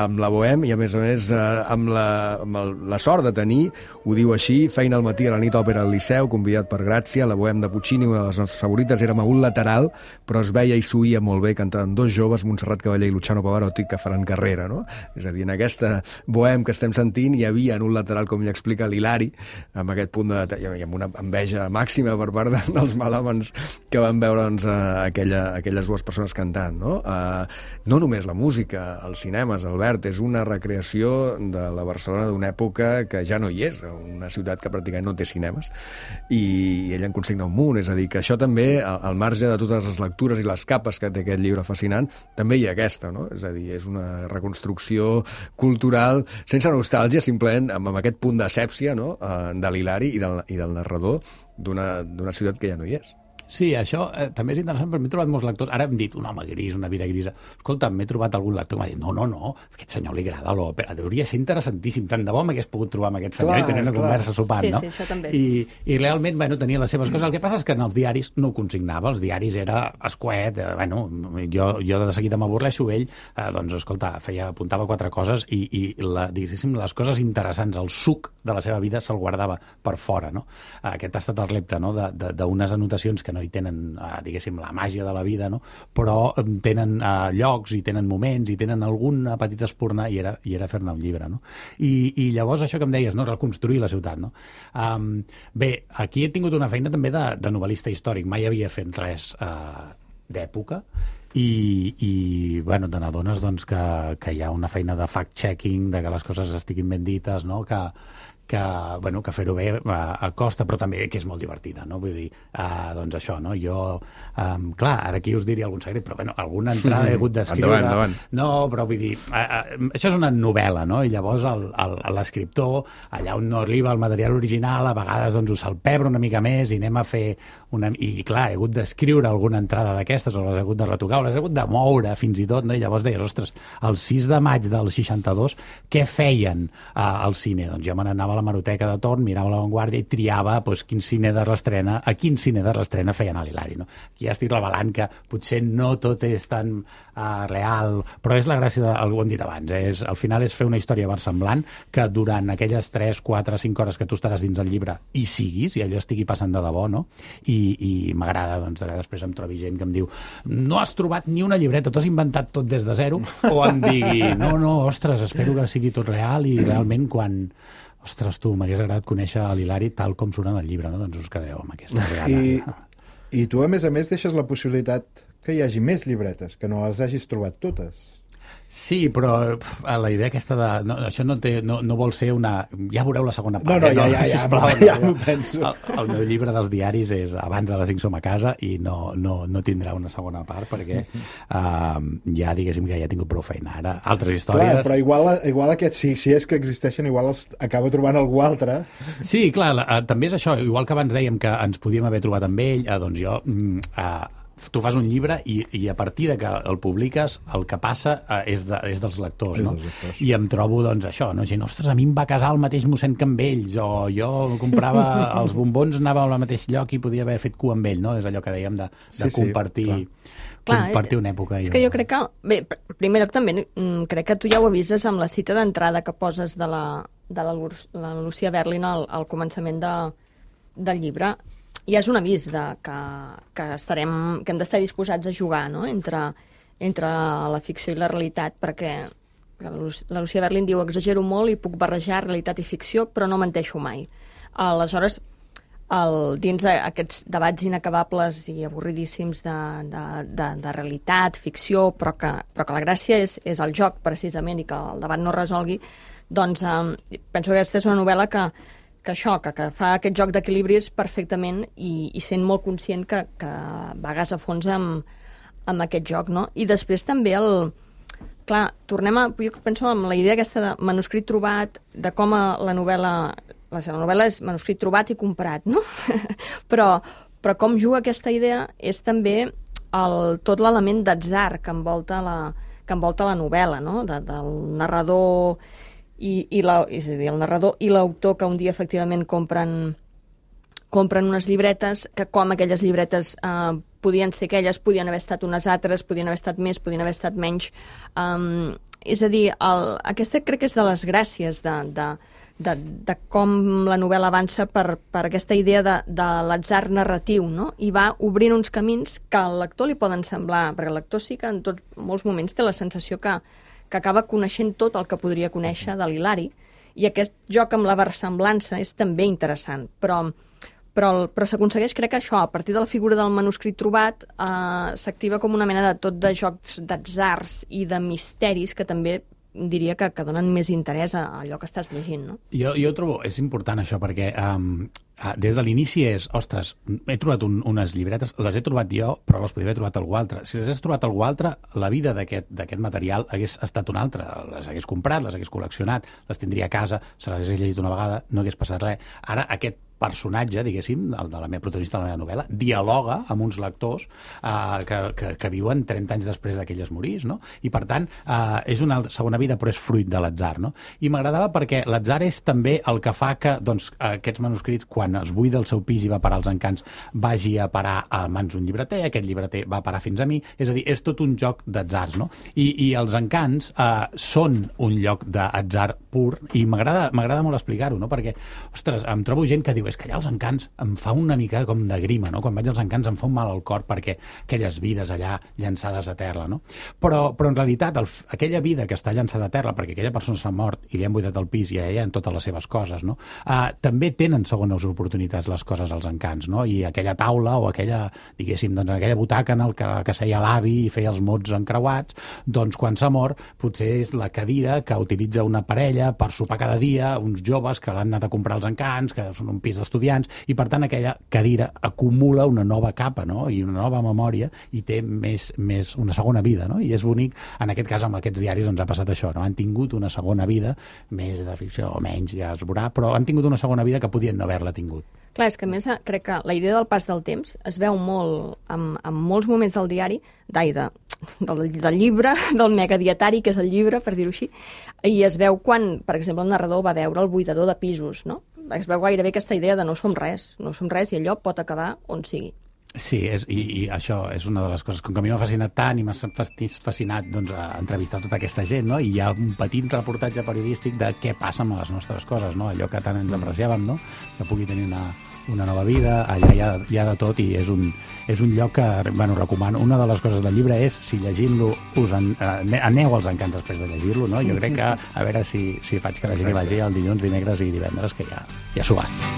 amb la Bohème i, a més a més, uh, amb, la, amb el, la sort de tenir, ho diu així, feina al matí a la nit òpera al Liceu, convidat per Gràcia, la Bohème de Puccini, una de les nostres favorites, érem a un lateral, però es veia i s'oïa molt bé, cantaven dos joves, Montserrat Cavaller i Luciano Pavarotti, que faran carrera, no? És a dir, en aquesta Bohème que estem sentint hi havia en un lateral, com li explica l'Hilari, amb aquest punt de detall i amb una enveja màxima per part de, dels melòmans que van veure doncs, aquella, aquelles dues persones cantant, no? Uh, no només la música, els cinemes, Albert, és una recreació de la Barcelona d'una època que ja no hi és, una ciutat que pràcticament no té cinemes, i, i ella en consigna un munt, és a dir, que això també, al marge de totes les lectures i les capes que té aquest llibre fascinant, també hi ha aquesta, no? És a dir, és una reconstrucció cultural sense nostàlgia, simplement amb, amb aquest punt d'asèpsia, no? uh, de l'Hilari i del, i del narrador d'una d'una ciutat que ja no hi és. Sí, això eh, també és interessant, perquè m'he trobat molts lectors. Ara hem dit un home gris, una vida grisa. Escolta, m'he trobat algun lector que m'ha dit no, no, no, a aquest senyor li agrada l'òpera, hauria ser interessantíssim. Tant de bo m'hagués pogut trobar amb aquest senyor clar, i tenir una clar. conversa sopant, sí, no? Sí, això també. I, I realment, bueno, tenia les seves coses. El que passa és que en els diaris no ho consignava. Els diaris era escuet, eh, bueno, jo, jo de seguida m'avorreixo, ell, eh, doncs, escolta, feia, apuntava quatre coses i, i la, diguéssim, les coses interessants, el suc de la seva vida se'l guardava per fora, no? Aquest ha estat el repte, no?, d'unes anotacions que no hi tenen eh, diguéssim, la màgia de la vida, no? Però tenen uh, llocs i tenen moments i tenen alguna petita espurna i era, i era fer-ne un llibre, no? I, I llavors això que em deies, no? Reconstruir la ciutat, no? Um, bé, aquí he tingut una feina també de, de novel·lista històric, mai havia fet res uh, d'època, i, i bueno, te n'adones doncs, que, que hi ha una feina de fact-checking, de que les coses estiguin ben dites, no? Que, que, bueno, que fer-ho bé a, a costa, però també que és molt divertida, no? Vull dir, uh, doncs això, no? Jo, um, clar, ara aquí us diria algun secret, però bueno, alguna entrada he hagut d'escriure. Endavant, endavant. No, però vull dir, uh, uh, això és una novel·la, no? I llavors l'escriptor, allà on no arriba el material original, a vegades doncs ho salpebre una mica més i anem a fer una... I clar, he hagut d'escriure alguna entrada d'aquestes, o les he hagut de retocar, o les he hagut de moure fins i tot, no? I llavors deies, ostres, el sis de maig del seixanta-dos, què feien uh, al cine? Doncs jo me n'anava a la Maroteca de torn, mirava l'avantguàrdia i triava doncs, quin cine de restrena, a quin cine de restrena feien a l'Hilari, no? Aquí ja estic revelant que potser no tot és tan uh, real, però és la gràcia, de, ho hem dit abans, eh? és, al final és fer una història versemblant que durant aquelles tres, quatre, cinc hores que tu estaràs dins el llibre hi siguis, i allò estigui passant de debò, no? I, i m'agrada, doncs, que després em trobi gent que em diu no has trobat ni una llibreta, t'has inventat tot des de zero, o em digui no, no, ostres, espero que sigui tot real i realment quan... Ostres, tu, m'hagués agradat conèixer l'Hilari tal com surt en el llibre, no? Doncs us quedareu amb aquesta regala. I, I tu, a més a més, deixes la possibilitat que hi hagi més llibretes, que no les hagis trobat totes. Sí, però pf, la idea aquesta de... No, això no, té, no, no vol ser una... Ja veureu la segona part. No, no, ja, ja, ja, sisplau, ja, ja, ja m'ho penso. El, el meu llibre dels diaris és abans de les cinc som a casa i no, no, no tindrà una segona part perquè uh, ja, diguéssim, que ja he tingut prou feina. Ara, altres històries... Clar, però igual, igual aquests, si, si és que existeixen, igual els acaba trobant algú altre. Sí, clar, la, uh, també és això. Igual que abans dèiem que ens podíem haver trobat amb ell, uh, doncs jo... Uh, tu fas un llibre i, i a partir de que el publiques el que passa eh, és, de, és dels lectors, no? I em trobo doncs això, no? Gent, ostres, a mi em va casar el mateix mossèn que amb ells, o jo comprava els bombons, anava al mateix lloc i podia haver fet cua amb ell, no? És allò que dèiem de, de sí, compartir, sí, compartir una època. És que jo crec que, bé, primer lloc també crec que tu ja ho avises amb la cita d'entrada que poses de la de la, la Lucia Berlin al, al començament de, del llibre. I és un avís de que, que, estarem, que hem d'estar disposats a jugar, no?, entre, entre la ficció i la realitat, perquè la Lucia Berlin diu exagero molt i puc barrejar realitat i ficció, però no menteixo mai. Aleshores, el, dins d'aquests debats inacabables i avorridíssims de, de, de, de realitat, ficció, però que, però que la gràcia és, és el joc, precisament, i que el debat no resolgui, doncs eh, penso que aquesta és una novel·la que, que això, que, que fa aquest joc d'equilibris perfectament i, i sent molt conscient que, que vagues a fons amb, amb aquest joc, no? I després també el... Clar, tornem a... Jo penso en la idea aquesta de manuscrit trobat, de com la novel·la... La novel·la és manuscrit trobat i comprat, no? però, però com juga aquesta idea és també el, tot l'element d'atzar que envolta la, que envolta la novel·la, no? De, del narrador i, i la, és a dir, el narrador i l'autor que un dia efectivament compren, compren unes llibretes, que com aquelles llibretes eh, podien ser aquelles, podien haver estat unes altres, podien haver estat més, podien haver estat menys. Um, és a dir, el, aquesta crec que és de les gràcies de, de, de, de com la novel·la avança per, per aquesta idea de, de l'atzar narratiu, no? I va obrint uns camins que al lector li poden semblar, perquè el lector sí que en tots molts moments té la sensació que, que acaba coneixent tot el que podria conèixer de l'Hilari, i aquest joc amb la versemblança és també interessant, però... Però, però s'aconsegueix, crec que això, a partir de la figura del manuscrit trobat, eh, s'activa com una mena de tot de jocs d'atzars i de misteris que també diria que, que donen més interès a allò que estàs llegint, no? Jo, jo trobo, és important això, perquè um, des de l'inici és, ostres, he trobat un, unes llibretes, les he trobat jo, però les podria haver trobat algú altre. Si les hagués trobat algú altre, la vida d'aquest material hagués estat una altra. Les hagués comprat, les hagués col·leccionat, les tindria a casa, se les hagués llegit una vegada, no hagués passat res. Ara, aquest personatge, diguéssim, el de la meva protagonista de la meva novel·la, dialoga amb uns lectors eh, que, que, que viuen trenta anys després d'aquell es morís, no? I, per tant, eh, és una segona vida, però és fruit de l'atzar, no? I m'agradava perquè l'atzar és també el que fa que, doncs, aquests manuscrits, quan es buida el seu pis i va parar als encants, vagi a parar a mans d'un llibreter, aquest llibreter va parar fins a mi, és a dir, és tot un joc d'atzars, no? I, i els encants eh, són un lloc d'atzar pur, i m'agrada m'agrada molt explicar-ho, no? Perquè, ostres, em trobo gent que diu és que allà als encants em fa una mica com de grima, no? Quan vaig als encants em fa un mal al cor perquè aquelles vides allà llançades a terra, no? Però, però en realitat el, aquella vida que està llançada a terra perquè aquella persona s'ha mort i li han buidat el pis i a ella en totes les seves coses, no? Uh, també tenen segones oportunitats les coses als encants, no? I aquella taula o aquella, diguéssim, doncs aquella butaca en el que, que seia l'avi i feia els mots encreuats, doncs quan s'ha mort potser és la cadira que utilitza una parella per sopar cada dia, uns joves que l'han anat a comprar als encants, que són un pis d'estudiants, i per tant aquella cadira acumula una nova capa, no? I una nova memòria i té més, més una segona vida, no? I és bonic, en aquest cas amb aquests diaris doncs ha passat això, no? Han tingut una segona vida, més de ficció o menys, ja es veurà, però han tingut una segona vida que podien no haver-la tingut. Clar, és que a més crec que la idea del pas del temps es veu molt en, en molts moments del diari, d'ai, de, del, del llibre, del megadietari, que és el llibre, per dir-ho així, i es veu quan, per exemple, el narrador va veure el buidador de pisos, no? Es veu gairebé aquesta idea de no som res, no som res i allò pot acabar on sigui. Sí, és, i, i això és una de les coses, com que a mi m'ha fascinat tant i m'ha fascinat doncs, a entrevistar tota aquesta gent, no? I hi ha un petit reportatge periodístic de què passa amb les nostres coses, no? Allò que tant ens apreciàvem, no? Que pugui tenir una, una nova vida, allà hi ha, hi ha de tot i és un, és un lloc que, bueno, recomano. Una de les coses del llibre és, si llegint-lo us en, eh, aneu als encants després de llegir-lo, no? Jo crec que, a veure si, si faig que la gent hi vagi el dilluns, dimecres i divendres, que ja, ja subhasta.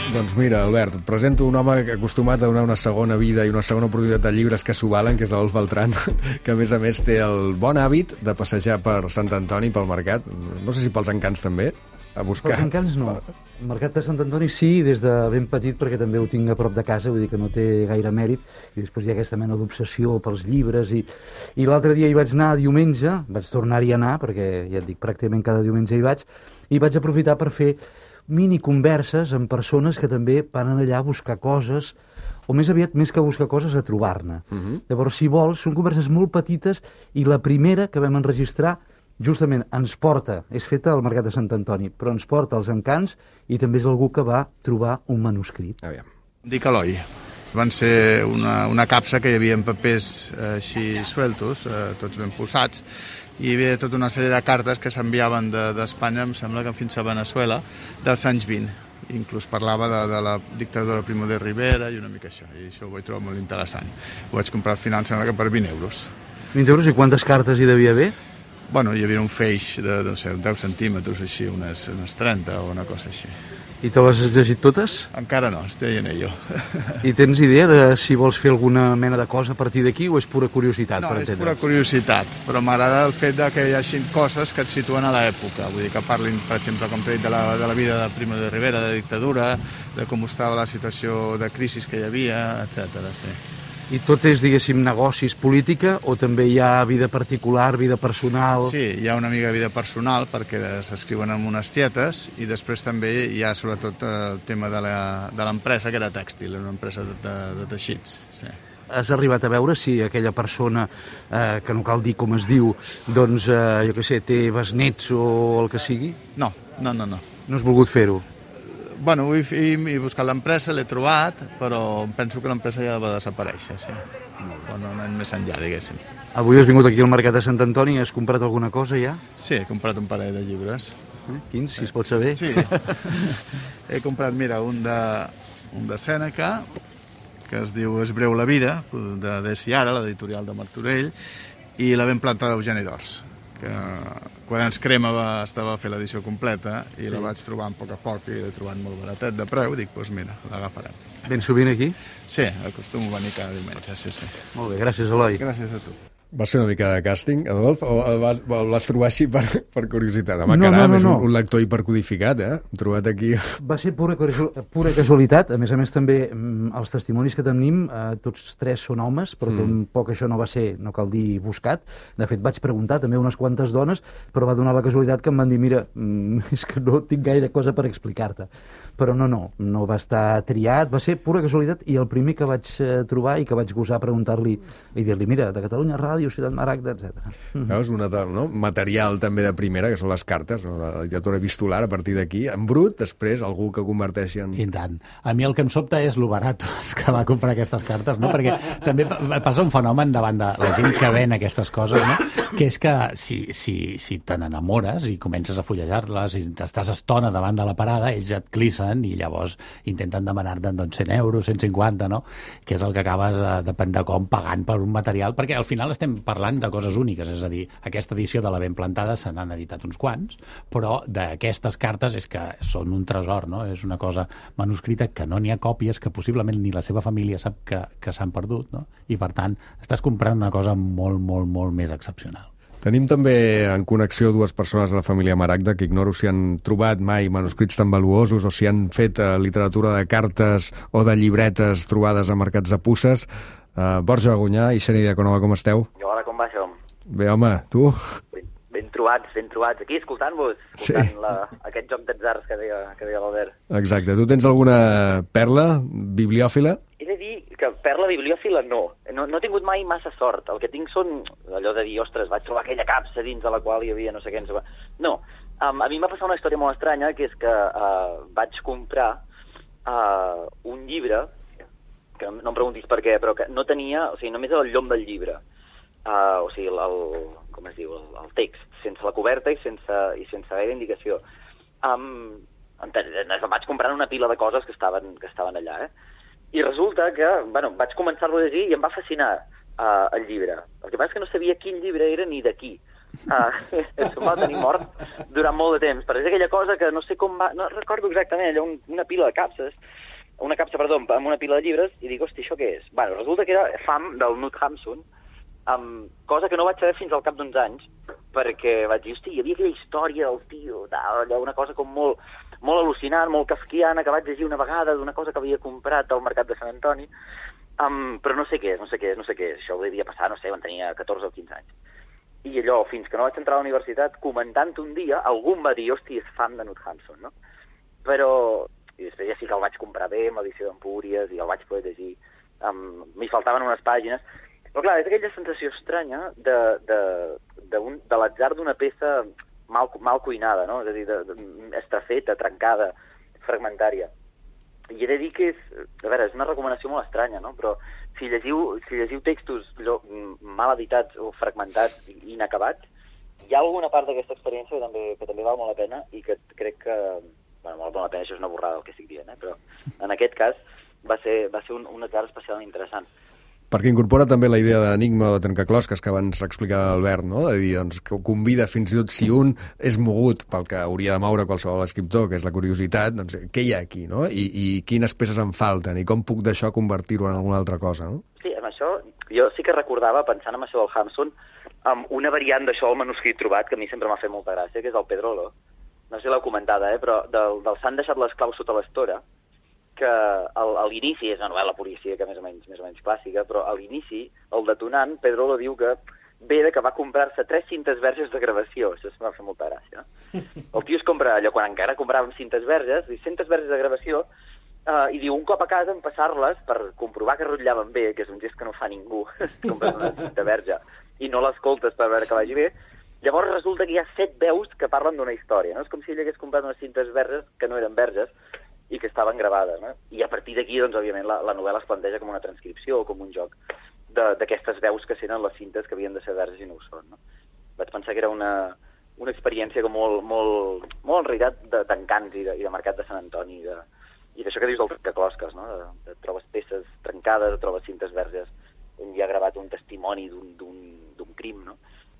Doncs mira, Albert, et presento un home acostumat a donar una segona vida i una segona oportunitat de llibres que s'ho valen, que és l'Adolf Beltrán, que a més a més té el bon hàbit de passejar per Sant Antoni, pel mercat, no sé si pels encants també, a buscar... Pels encants no. El mercat de Sant Antoni sí, des de ben petit, perquè també ho tinc a prop de casa, vull dir que no té gaire mèrit, i després hi ha aquesta mena d'obsessió pels llibres, i, i l'altre dia hi vaig anar diumenge, vaig tornar-hi a anar, perquè ja et dic, pràcticament cada diumenge hi vaig, i vaig aprofitar per fer mini converses amb persones que també van allà a buscar coses o més aviat, més que buscar coses, a trobar-ne. Uh -huh. Llavors, si vols, són converses molt petites i la primera que vam enregistrar justament ens porta, és feta al Mercat de Sant Antoni, però ens porta als Encants i també és algú que va trobar un manuscrit. Aviam. Dic Eloi. Van ser una, una capsa que hi havia en papers eh, així sueltos, eh, tots ben posats, i hi havia tota una sèrie de cartes que s'enviaven d'Espanya, de, em sembla que fins a Venezuela, dels anys vint. Inclús parlava de, de la dictadura Primo de Rivera i una mica això, i això ho vaig trobar molt interessant. Ho vaig comprar al final, em sembla que per vint euros. vint euros i quantes cartes hi devia haver? Bueno, hi havia un feix de, no sé, deu centímetres, així, unes, unes trenta o una cosa així. I te les has llegit totes? Encara no, estic en ello. I tens idea de si vols fer alguna mena de cosa a partir d'aquí o és pura curiositat? No, per és entendre? pura curiositat, però m'agrada el fet de que hi hagi coses que et situen a l'època. Vull dir que parlin, per exemple, com t'he dit, de la, de la vida de Primo de Rivera, de la dictadura, de com estava la situació de crisi que hi havia, etcètera. Sí. I tot és, diguéssim, negocis, política, o també hi ha vida particular, vida personal? Sí, hi ha una mica de vida personal perquè s'escriuen en unes tietes i després també hi ha sobretot el tema de l'empresa, que era tèxtil, una empresa de, de, de teixits. Sí. Has arribat a veure si aquella persona, eh, que no cal dir com es diu, doncs, eh, jo què sé, té besnets o el que sigui? No, no, no. No, no has volgut fer-ho? Bueno, he, he buscat l'empresa, l'he trobat, però penso que l'empresa ja va desaparèixer, sí. O no anem més enllà, diguéssim. Avui has vingut aquí al Mercat de Sant Antoni i has comprat alguna cosa ja? Sí, he comprat un parell de llibres. Eh? Quins, si es pot saber? Sí. He comprat, mira, un de, un de Sèneca, que es diu És breu la vida, de Desi Ara, l'editorial de Martorell, i La ben plantada d'Eugeni d'Ors, que quan ens crema va, estava a fer l'edició completa i sí. La vaig trobar a poc a poc i l'he trobat molt baratet de preu, dic, doncs mira, l'agafarem. Ben sovint aquí? Sí, acostumo a venir cada diumenge, sí, sí. Molt bé, gràcies, Eloi. Gràcies a tu. Va ser una mica de càsting, Adolf, o el vas, el vas trobar així per, per curiositat? Home, no, caram, no, no, és un, no. un lector hipercodificat, eh? Hem trobat aquí... Va ser pura, pura casualitat. A més a més, també, els testimonis que tenim, eh, tots tres són homes, però mm. tampoc això no va ser, no cal dir, buscat. De fet, vaig preguntar també unes quantes dones, però va donar la casualitat que em van dir, mira, és que no tinc gaire cosa per explicar-te. Però no, no, no va estar triat, va ser pura casualitat, i el primer que vaig trobar i que vaig gosar preguntar-li i dir-li, mira, de Catalunya Ràdio, Ciutat Maragda, etcètera. Veus, una, no? Material també de primera, que són les cartes, no? La literatura epistolar, a partir d'aquí, en brut, després algú que converteixi en... I tant. A mi el que em sobta és lo baratos que va comprar aquestes cartes, no? Perquè també passa un fenomen davant de la gent que ven aquestes coses, no? Que és que si, si, si te n'enamores i comences a fullejar-les i t'estàs estona davant de la parada, ells et clissen i llavors intenten demanar-te doncs, cent euros, cent cinquanta, no? Que és el que acabes, eh, depèn de com, pagant per un material, perquè al final estem parlant de coses úniques, és a dir, aquesta edició de La ben plantada se n'han editat uns quants, però d'aquestes cartes és que són un tresor, no? És una cosa manuscrita que no n'hi ha còpies, que possiblement ni la seva família sap que, que s'han perdut, no? I per tant, estàs comprant una cosa molt, molt, molt més excepcional. Tenim també en connexió dues persones de la família Maragda que ignoro si han trobat mai manuscrits tan valuosos o si han fet eh, literatura de cartes o de llibretes trobades a mercats de puces. Uh, Borja Bagunyà i Xènia Diaconova, com esteu? I hola, com va això? Bé, home, tu? Ben, ben trobats, ben trobats. Aquí, escoltant-vos, escoltant sí. la, aquest joc d'atzars que deia, que deia l'Albert. Exacte. Tu tens alguna perla bibliòfila? He de dir que perla bibliòfila no. no. No he tingut mai massa sort. El que tinc són allò de dir, ostres, vaig trobar aquella capsa dins de la qual hi havia no sé què. No, sé no. Um, a mi m'ha passat una història molt estranya, que és que uh, vaig comprar uh, un llibre, que no em preguntis per què, però que no tenia, o sigui, només el llom del llibre. Uh, o sigui, el, el, com es diu, el, el text, sense la coberta i sense, i sense gaire indicació. Um, vaig comprant una pila de coses que estaven, que estaven allà, eh? I resulta que, bueno, vaig començar-lo a llegir i em va fascinar uh, el llibre. El que passa és que no sabia quin llibre era ni de qui. Uh, això va tenir mort durant molt de temps, perquè és aquella cosa que no sé com va... No recordo exactament, allò, un, una pila de capses, una capsa, perdó, amb una pila de llibres, i dic, hosti, això què és? Bueno, resulta que era Fam, del Knut Hamsun, um, cosa que no vaig saber fins al cap d'uns anys, perquè vaig dir, hosti, hi havia aquella història del tio, tal, allò, una cosa com molt, molt al·lucinant, molt kafkiana, que vaig llegir una vegada d'una cosa que havia comprat al Mercat de Sant Antoni, um, però no sé què és, no sé què és, no sé què és. Això ho devia passar, no sé, quan tenia catorze o quinze anys. I allò, fins que no vaig entrar a la universitat, comentant un dia, algú em va dir, hosti, és fan de Knut Hamsun, no? Però, i després ja sí que el vaig comprar bé, amb l'edició d'Empúries, i el vaig poder llegir. um, m'hi faltaven unes pàgines. Però clar, és aquella sensació estranya de, de, de, un, de l'atzar d'una peça mal, mal cuinada, no? És a dir, de, de, estrafeta, trencada, fragmentària. I he de dir que és, a veure, és una recomanació molt estranya, no? Però si llegiu, si llegiu textos mal editats o fragmentats i inacabats, hi ha alguna part d'aquesta experiència que també, que també val molt la pena i que crec que... Bueno, val molt la pena, això és una borrada el que estic dient, eh? Però en aquest cas va ser, va ser un, un atzar especialment interessant. Perquè incorpora també la idea d'enigma o de trencaclosques que abans explicava Albert, no? De dir, doncs, que ho convida fins i tot si un és mogut pel que hauria de moure qualsevol escriptor, que és la curiositat, doncs què hi ha aquí, no? I, i quines peces em falten i com puc d'això convertir-ho en alguna altra cosa, no? Sí, amb això, jo sí que recordava, pensant en això del Hampson, amb una variant d'això, el manuscrit trobat, que a mi sempre m'ha fet molta gràcia, que és el Pedrolo. No sé si l'heu comentada, eh? Però del, del S'han deixat les claus sota l'estora, que al, a l'inici és una novel·la policíaca més o menys, més o menys clàssica, però a l'inici, el detonant, Pedrolo diu que ve de que va comprar-se tres cintes verges de gravació. Això m'ha fet molta gràcia. El tio es compra allò, quan encara compràvem cintes verges, diu, cintes verges de gravació, uh, i diu, un cop a casa en passar-les per comprovar que rotllaven bé, que és un gest que no fa ningú, compres una cinta verge i no l'escoltes per veure que vagi bé, llavors resulta que hi ha set veus que parlen d'una història, no? És com si ell hagués comprat unes cintes verges que no eren verges, i que estaven gravades, no? I a partir d'aquí, doncs, òbviament, la, la novel·la es planteja com una transcripció o com un joc d'aquestes veus que senten les cintes que havien de ser verges i no ho són, no? Vaig pensar que era una, una experiència com molt, molt, molt en realitat d'encants i, de, i de mercat de Sant Antoni, de, i d'això que dius del trencaclosques, no? De, de, trobes peces trencades, trobes cintes verges on hi ha gravat un testimoni d'un crim, no?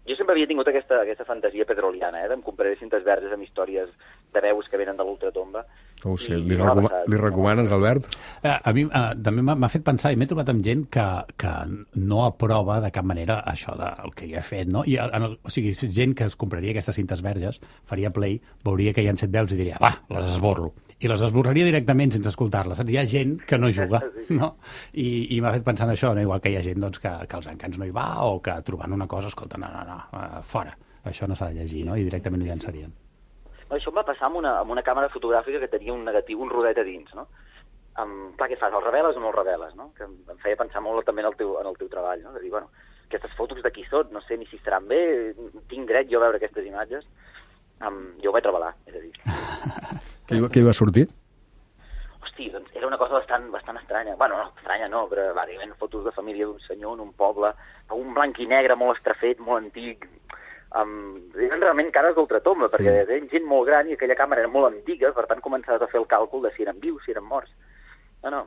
Jo sempre havia tingut aquesta, aquesta fantasia pedroliana, eh? Em compraré cintes verges amb històries de veus que venen de l'ultratomba. Oh, sí. Li, recoma li recomanes, Albert? Eh, a mi eh, també m'ha fet pensar, i m'he trobat amb gent que, que no aprova de cap manera això del que jo he fet, no? I, en el, o sigui, gent que es compraria aquestes cintes verges, faria play, veuria que hi ha set veus i diria, va, les esborro. I les esborraria directament sense escoltar-les. Hi ha gent que no juga, no? I, i m'ha fet pensar en això, no? Igual que hi ha gent doncs, que, que als encants no hi va o que trobant una cosa, escolta, no, no, no, uh, fora. Això no s'ha de llegir, no? I directament ho llançarien. Això em va passar amb una, amb una càmera fotogràfica que tenia un negatiu, un rodet a dins, no? Um, clar, què fas? El reveles o no el reveles, no? Que em feia pensar molt també en el teu, en el teu treball, no? De dir, bueno, aquestes fotos de qui són, no sé ni si estaran bé, tinc dret jo a veure aquestes imatges. Um, jo ho vaig revelar, és a dir. Què hi, què hi va sortir? Hosti, doncs era una cosa bastant, bastant estranya. Bueno, no, estranya no, però bàsicament fotos de família d'un senyor en un poble, un blanc i negre molt estrafet, molt antic. Um, eren realment cares d'ultratomba, perquè sí. Eren gent molt gran i aquella càmera era molt antiga, per tant començaves a fer el càlcul de si eren vius, si eren morts. No, no.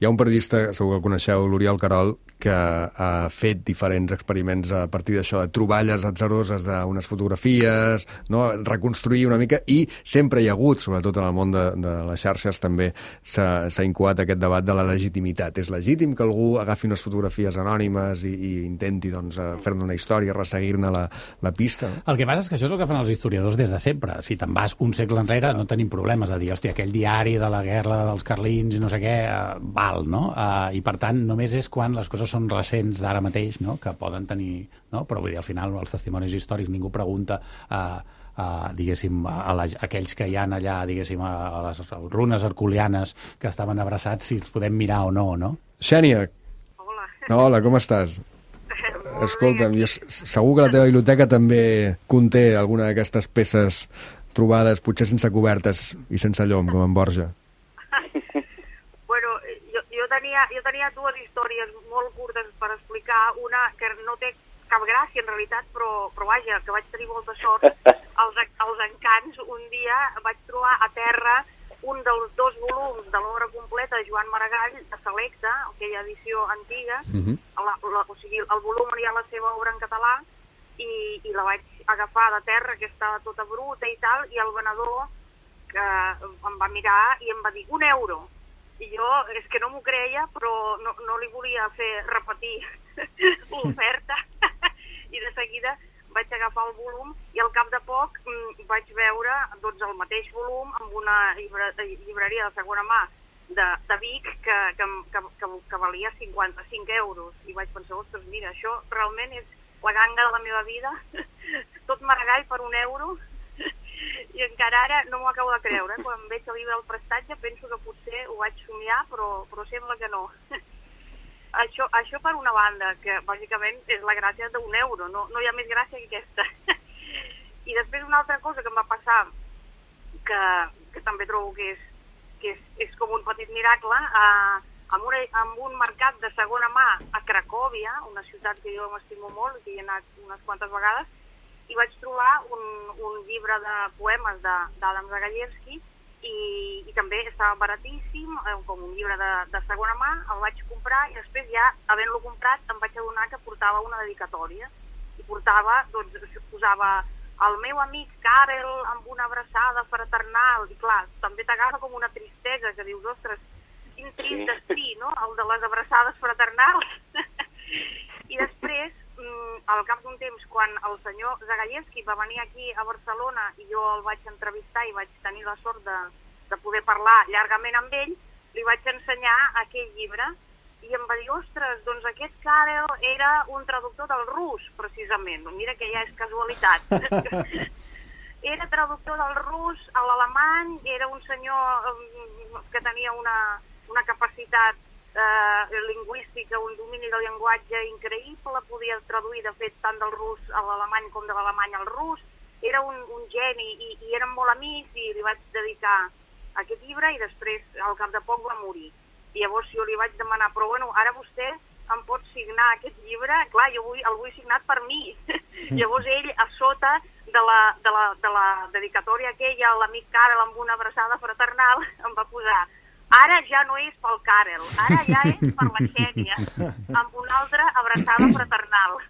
Hi ha un periodista, segur que el coneixeu, l'Oriol Querol, que ha fet diferents experiments a partir d'això, de troballes atzaroses d'unes fotografies, no? Reconstruir una mica, i sempre hi ha hagut, sobretot en el món de, de les xarxes, també s'ha incoat aquest debat de la legitimitat. És legítim que algú agafi unes fotografies anònimes i, i intenti doncs, fer-ne una història, resseguir-ne la, la pista? No? El que passa és que això és el que fan els historiadors des de sempre. Si te'n vas un segle enrere no tenim problemes a dir, hòstia, aquell diari de la guerra dels carlins i no sé què, Uh, val, no? Uh, I per tant només és quan les coses són recents d'ara mateix, no? Que poden tenir, no? Però vull dir, al final els testimonis històrics ningú pregunta uh, uh, diguéssim a, la, a aquells que hi ha allà, diguéssim a, a les runes herculianes que estaven abraçats si els podem mirar o no, no? Xènia. Hola. Hola, com estàs? Escolta'm, jo, segur que la teva biblioteca també conté alguna d'aquestes peces trobades, potser sense cobertes i sense llom, com en Borja. Tenia, jo tenia dues històries molt curtes per explicar, una que no té cap gràcia en realitat, però, però vaja, que vaig tenir molta sort als, als encants. Un dia vaig trobar a terra un dels dos volums de l'obra completa de Joan Maragall, de Selecta, aquella edició antiga. Uh-huh. la, la, o sigui, el volum on hi ha la seva obra en català, i, i la vaig agafar de terra, que estava tota bruta i tal, i el venedor que em va mirar i em va dir un euro. I jo, és que no m'ho creia, però no, no li volia fer repetir l'oferta. I de seguida vaig agafar el volum i al cap de poc mm, vaig veure doncs, el mateix volum amb una llibre, llibreria de segona mà de, de Vic que, que, que, que, que valia cinquanta-cinc euros. I vaig pensar, ostres, mira, això realment és la ganga de la meva vida. Tot Maragall per un euro. I encara ara no m'ho acabo de creure. Quan veig el llibre del prestatge penso que potser ho vaig somiar, però, però sembla que no. això, això per una banda, que bàsicament és la gràcia d'un euro, no, no hi ha més gràcia que aquesta. I després una altra cosa que em va passar, que, que també trobo que és, que és, és com un petit miracle, eh, amb, una, amb un mercat de segona mà a Cracòvia, una ciutat que jo m'estimo molt, que hi he anat unes quantes vegades, i vaig trobar un, un llibre de poemes d'Adam Zagajewski, i, i també estava baratíssim, eh, com un llibre de, de segona mà, el vaig comprar i després ja, havent-lo comprat, em vaig adonar que portava una dedicatòria i portava, doncs, posava el meu amic Karel amb una abraçada fraternal, i clar, també t'agafa com una tristesa, que dius, ostres, quin trist destí, no?, el de les abraçades fraternals. I després, al cap d'un temps, quan el senyor Zagajewski va venir aquí a Barcelona i jo el vaig entrevistar i vaig tenir la sort de, de poder parlar llargament amb ell, li vaig ensenyar aquell llibre i em va dir, ostres, doncs aquest Karel era un traductor del rus, precisament. Mira que ja és casualitat. Era traductor del rus a l'alemany, era un senyor que tenia una, una capacitat Eh, lingüística, un domini del llenguatge increïble, podia traduir de fet tant del rus a l'alemany com de l'alemany al rus, era un, un geni i, i érem molt amics i li vaig dedicar aquest llibre i després al cap de poc va morir. I llavors jo li vaig demanar, però bueno, ara vostè em pot signar aquest llibre? Clar, jo vull, el vull signat per mi. Llavors ell, a sota de la, de la, de la dedicatòria aquella, l'amic Karel amb una abraçada fraternal, em va posar: ara ja no és pel Karel, ara ja és per la Xènia, amb una altra abraçada fraternal.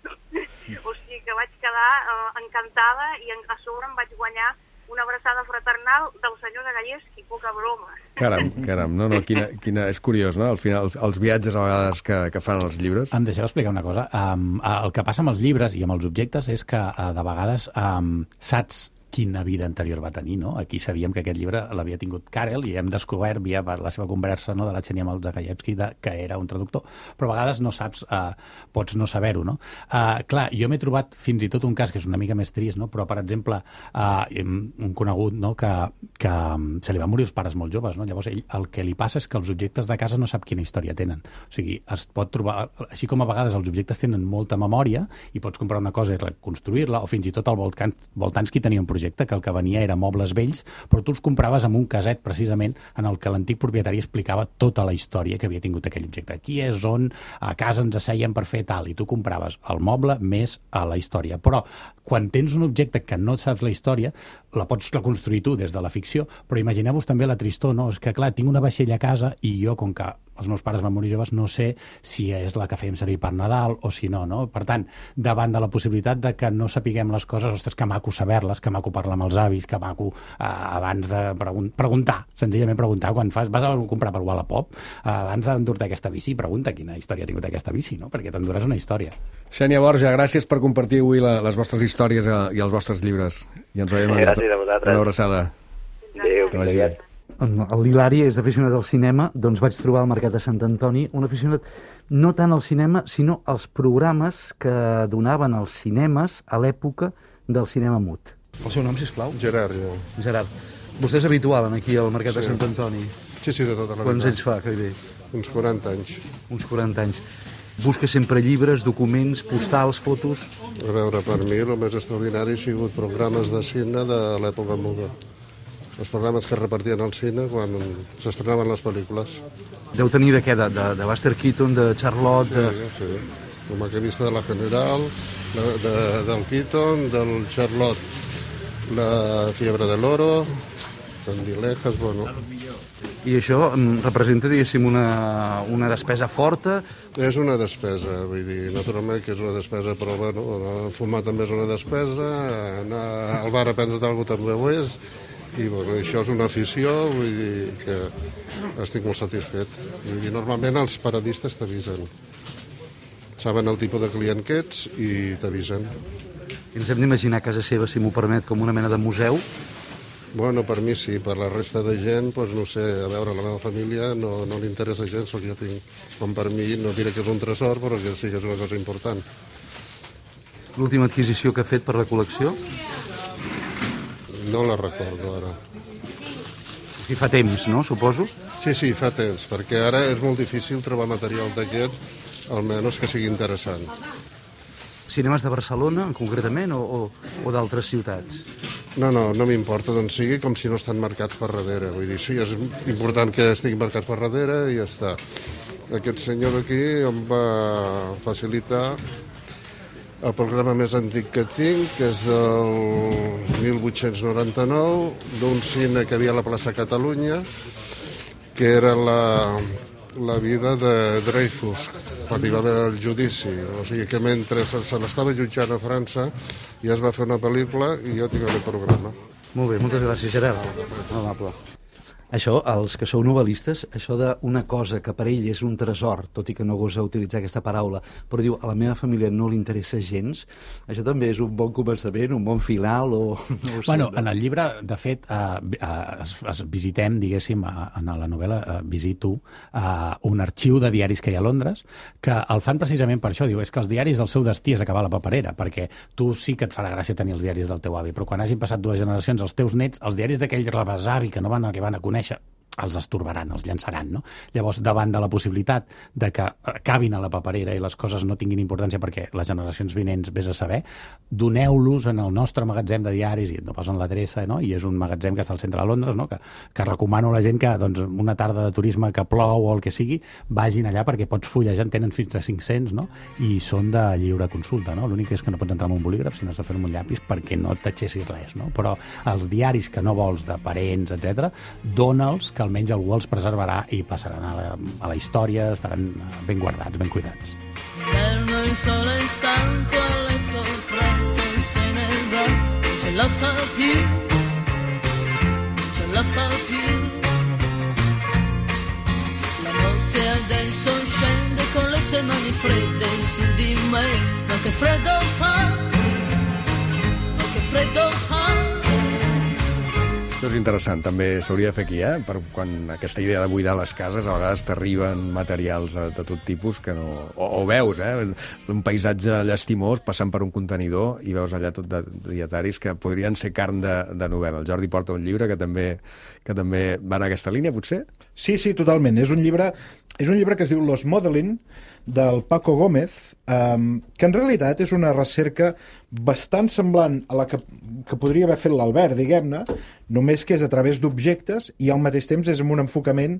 O sigui que vaig quedar eh, encantada i a sobre em vaig guanyar una abraçada fraternal del senyor Zagajewski, poca broma. Caram, caram, no, no, quina, quina, és curiós, no?, al final, els viatges a vegades que, que fan els llibres. Em deixeu explicar una cosa. Um, el que passa amb els llibres i amb els objectes és que uh, de vegades um, saps quina vida anterior va tenir, no? Aquí sabíem que aquest llibre l'havia tingut Karel i hem descobert via la seva conversa, no?, de la Xènia amb el Zagajewski, que era un traductor, però a vegades no saps, eh, pots no saber-ho, no? Eh, clar, jo m'he trobat fins i tot un cas que és una mica més trist, no?, però, per exemple, eh, un conegut, no?, que, que se li van morir els pares molt joves, no? Llavors, ell, el que li passa és que els objectes de casa no sap quina història tenen. O sigui, es pot trobar, així com a vegades els objectes tenen molta memòria i pots comprar una cosa i reconstruir-la, o fins i tot el Voltansky tenia un projecte que el que venia era mobles vells, però tu els compraves amb un caset precisament en el que l'antic propietari explicava tota la història que havia tingut aquell objecte. Aquí és on a casa ens asseien per fer tal, i tu compraves el moble més a la història. Però quan tens un objecte que no saps la història, la pots reconstruir tu des de la ficció, però imagineu-vos també la tristor, no? És que, clar, tinc una vaixella a casa i jo, com que els meus pares van morir joves, no sé si és la que fèiem servir per Nadal o si no, no? Per tant, davant de la possibilitat de que no sapiguem les coses, ostres, que maco saber-les, que maco parlar amb els avis, que maco eh, abans de pregun preguntar, senzillament preguntar, quan fas, vas a comprar per Wallapop, eh, abans d'endur-te aquesta bici, pregunta quina història ha tingut aquesta bici, no? Perquè t'enduràs una història. Xènia Borja, gràcies per compartir avui la, les vostres històries a, i els vostres llibres. I ens veiem gràcies a vosaltres. Una abraçada. Adéu, que vagi bé. L'Hilari és aficionat al cinema, doncs vaig trobar al Mercat de Sant Antoni un aficionat no tant al cinema, sinó als programes que donaven als cinemes a l'època del cinema mut. El seu nom, sisplau? Gerard, jo. Gerard. Vostè és habitual aquí al Mercat sí. de Sant Antoni? Sí, sí, de tota la vida. Quants anys fa que hi ve? Uns quaranta anys. Uns quaranta anys. Busca sempre llibres, documents, postals, fotos? A veure, per mi el més extraordinari ha sigut programes de cine de l'època muda. Els programes que es repartien al cine quan s'estrenaven les pel·lícules. Deu tenir de què? De, de, de Buster Keaton, de Charlotte... De... Sí, sí. Com que he vist de la General, de, de, del Keaton, del Charlotte, la Fiebre del Oro, Candilejas, bueno... I això representa, diguéssim, una, una despesa forta? És una despesa, vull dir, naturalment que és una despesa, però bueno, fumar també és una despesa, anar al bar a prendre't alguna cosa també ho és, i bueno, això és una afició, vull dir que estic molt satisfet. Vull dir, normalment els paradistes t'avisen. Saben el tipus de client que ets i t'avisen. Ens hem d'imaginar a casa seva, si m'ho permet, com una mena de museu? Bueno, per mi sí, per la resta de gent, doncs no sé, a veure, la meva família no, no li interessa gens el que jo tinc. Com per mi, no diré que és un tresor, però que sí que és una cosa important. L'última adquisició que ha fet per la col·lecció? No la recordo ara. I fa temps, no? Suposo? Sí, sí, fa temps, perquè ara és molt difícil trobar material d'aquest almenys que sigui interessant. Cinemes de Barcelona, concretament, o, o, o d'altres ciutats? No, no, no m'importa d'on sigui, com si no estan marcats per darrere. Vull dir, sí, és important que estigui marcat per darrere i ja està. Aquest senyor d'aquí em va facilitar el programa més antic que tinc, que és del mil vuit-cents noranta-nou, d'un cine que hi havia a la plaça Catalunya, que era la, la vida de Dreyfus, quan hi va haver el judici. O sigui que mentre se, se l'estava jutjant a França ja es va fer una pel·lícula i jo tinc el programa. Molt bé, moltes gràcies, Gerard. Amable. Això, els que sou novel·listes, això d'una cosa que per ell és un tresor, tot i que no gosa utilitzar aquesta paraula, però diu, a la meva família no li interessa gens, això també és un bon començament, un bon final, o... No bueno, en el llibre, de fet, eh, es, es visitem, diguéssim, en la novel·la, eh, visito eh, un arxiu de diaris que hi ha a Londres, que el fan precisament per això, diu, és que els diaris, el seu destí és acabar la paperera, perquè tu sí que et farà gràcia tenir els diaris del teu avi, però quan hagin passat dues generacions, els teus nets, els diaris d'aquell rebesavi que no van arribar a conèixer, els estorbaran, els llançaran, no? Llavors, davant de la possibilitat de que acabin a la paperera i les coses no tinguin importància perquè les generacions vinents vés a saber, doneu-los en el nostre magatzem de diaris, i no posen l'adreça, no? I és un magatzem que està al centre de Londres, no? que, que recomano a la gent que doncs, una tarda de turisme que plou o el que sigui, vagin allà perquè pots fullejar, en tenen fins a cinc-cents, no? I són de lliure consulta, no? L'únic és que no pots entrar amb un bolígraf, sinó has de fer amb un llapis perquè no t'aixessis res, no? Però els diaris que no vols de parents, etcètera, dona'ls, que almenys algú els preservarà i passaran a la, a la història, estaran ben guardats, ben cuidats. L'inverno il sole è stanco a letto presto se ne va, non ce la fa più, non ce la fa più. La notte adesso scende con le sue mani fredde su di me, ma che freddo fa, ma che freddo fa. Això és interessant, també s'hauria de fer aquí, eh? Per quan aquesta idea de buidar les cases, a vegades t'arriben materials de, de tot tipus que no... O, o veus, eh? Un paisatge llastimós passant per un contenidor i veus allà tot de dietaris que podrien ser carn de, de novel·la. El Jordi porta un llibre que també, que també va en aquesta línia, potser? Sí, sí, totalment. És un llibre, és un llibre que es diu Los Modeling, del Paco Gómez, um, que en realitat és una recerca bastant semblant a la que, que podria haver fet l'Albert, diguem-ne, només que és a través d'objectes i al mateix temps és amb un enfocament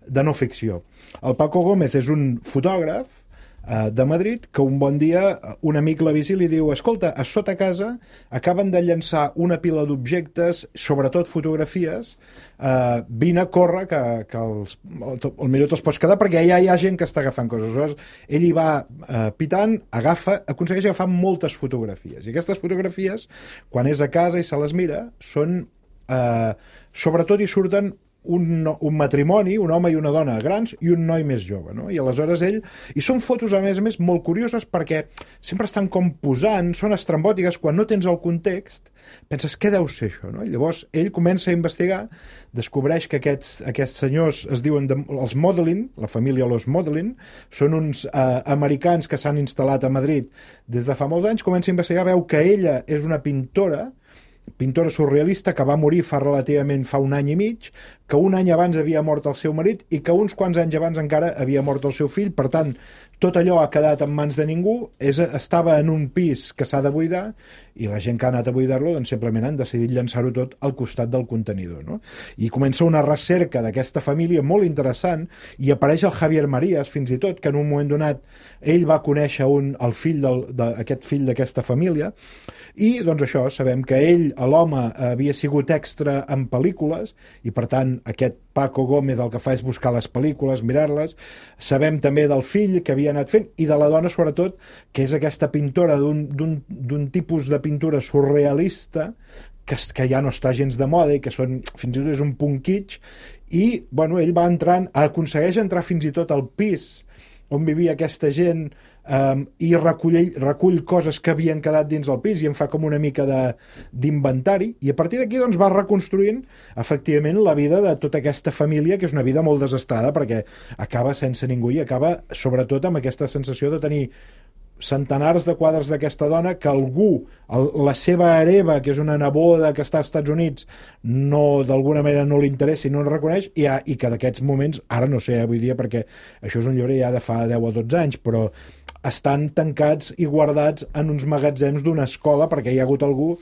de no ficció. El Paco Gómez és un fotògraf uh, de Madrid que un bon dia un amic l'avisa i li diu, escolta, a sota casa acaben de llançar una pila d'objectes, sobretot fotografies, Uh, vine a córrer que, que els, el millor te'ls pots quedar perquè ja hi ha gent que està agafant coses. Aleshores, ell hi va uh, pitant, agafa, aconsegueix agafar moltes fotografies i aquestes fotografies, quan és a casa i se les mira, són uh, sobretot hi surten un, un matrimoni, un home i una dona grans i un noi més jove, no? I aleshores ell... I són fotos, a més a més, molt curioses perquè sempre estan com posant, són estrambòtiques, quan no tens el context, penses, què deu ser això, no? I llavors ell comença a investigar, descobreix que aquests, aquests senyors es diuen de, els Modeling, la família Los Modeling, són uns eh, americans que s'han instal·lat a Madrid des de fa molts anys, comença a investigar, veu que ella és una pintora, pintora surrealista que va morir fa relativament fa un any i mig, que un any abans havia mort el seu marit i que uns quants anys abans encara havia mort el seu fill, per tant, tot allò ha quedat en mans de ningú, és, estava en un pis que s'ha de buidar i la gent que ha anat a buidar-lo doncs simplement han decidit llançar-ho tot al costat del contenidor, no? I comença una recerca d'aquesta família molt interessant i apareix el Javier Marías, fins i tot, que en un moment donat ell va conèixer un, el fill del, de, aquest fill d'aquesta família i doncs això, sabem que ell, l'home, havia sigut extra en pel·lícules i per tant aquest Paco Gómez el que fa és buscar les pel·lícules, mirar-les. Sabem també del fill que havia anat fent i de la dona, sobretot, que és aquesta pintora d'un tipus de pintura surrealista que, que ja no està gens de moda i que són, fins i tot és un punt kitsch i, bueno, ell va entrant, aconsegueix entrar fins i tot al pis on vivia aquesta gent um, i recull, recull coses que havien quedat dins el pis i en fa com una mica d'inventari i a partir d'aquí doncs va reconstruint efectivament la vida de tota aquesta família que és una vida molt desastrada perquè acaba sense ningú i acaba sobretot amb aquesta sensació de tenir centenars de quadres d'aquesta dona que algú, el, la seva hereva, que és una neboda que està als Estats Units, no, d'alguna manera no li interessa i no el reconeix, i, ha, i que d'aquests moments, ara no sé, avui dia, perquè això és un llibre ja de fa deu o dotze anys, però estan tancats i guardats en uns magatzems d'una escola perquè hi ha hagut algú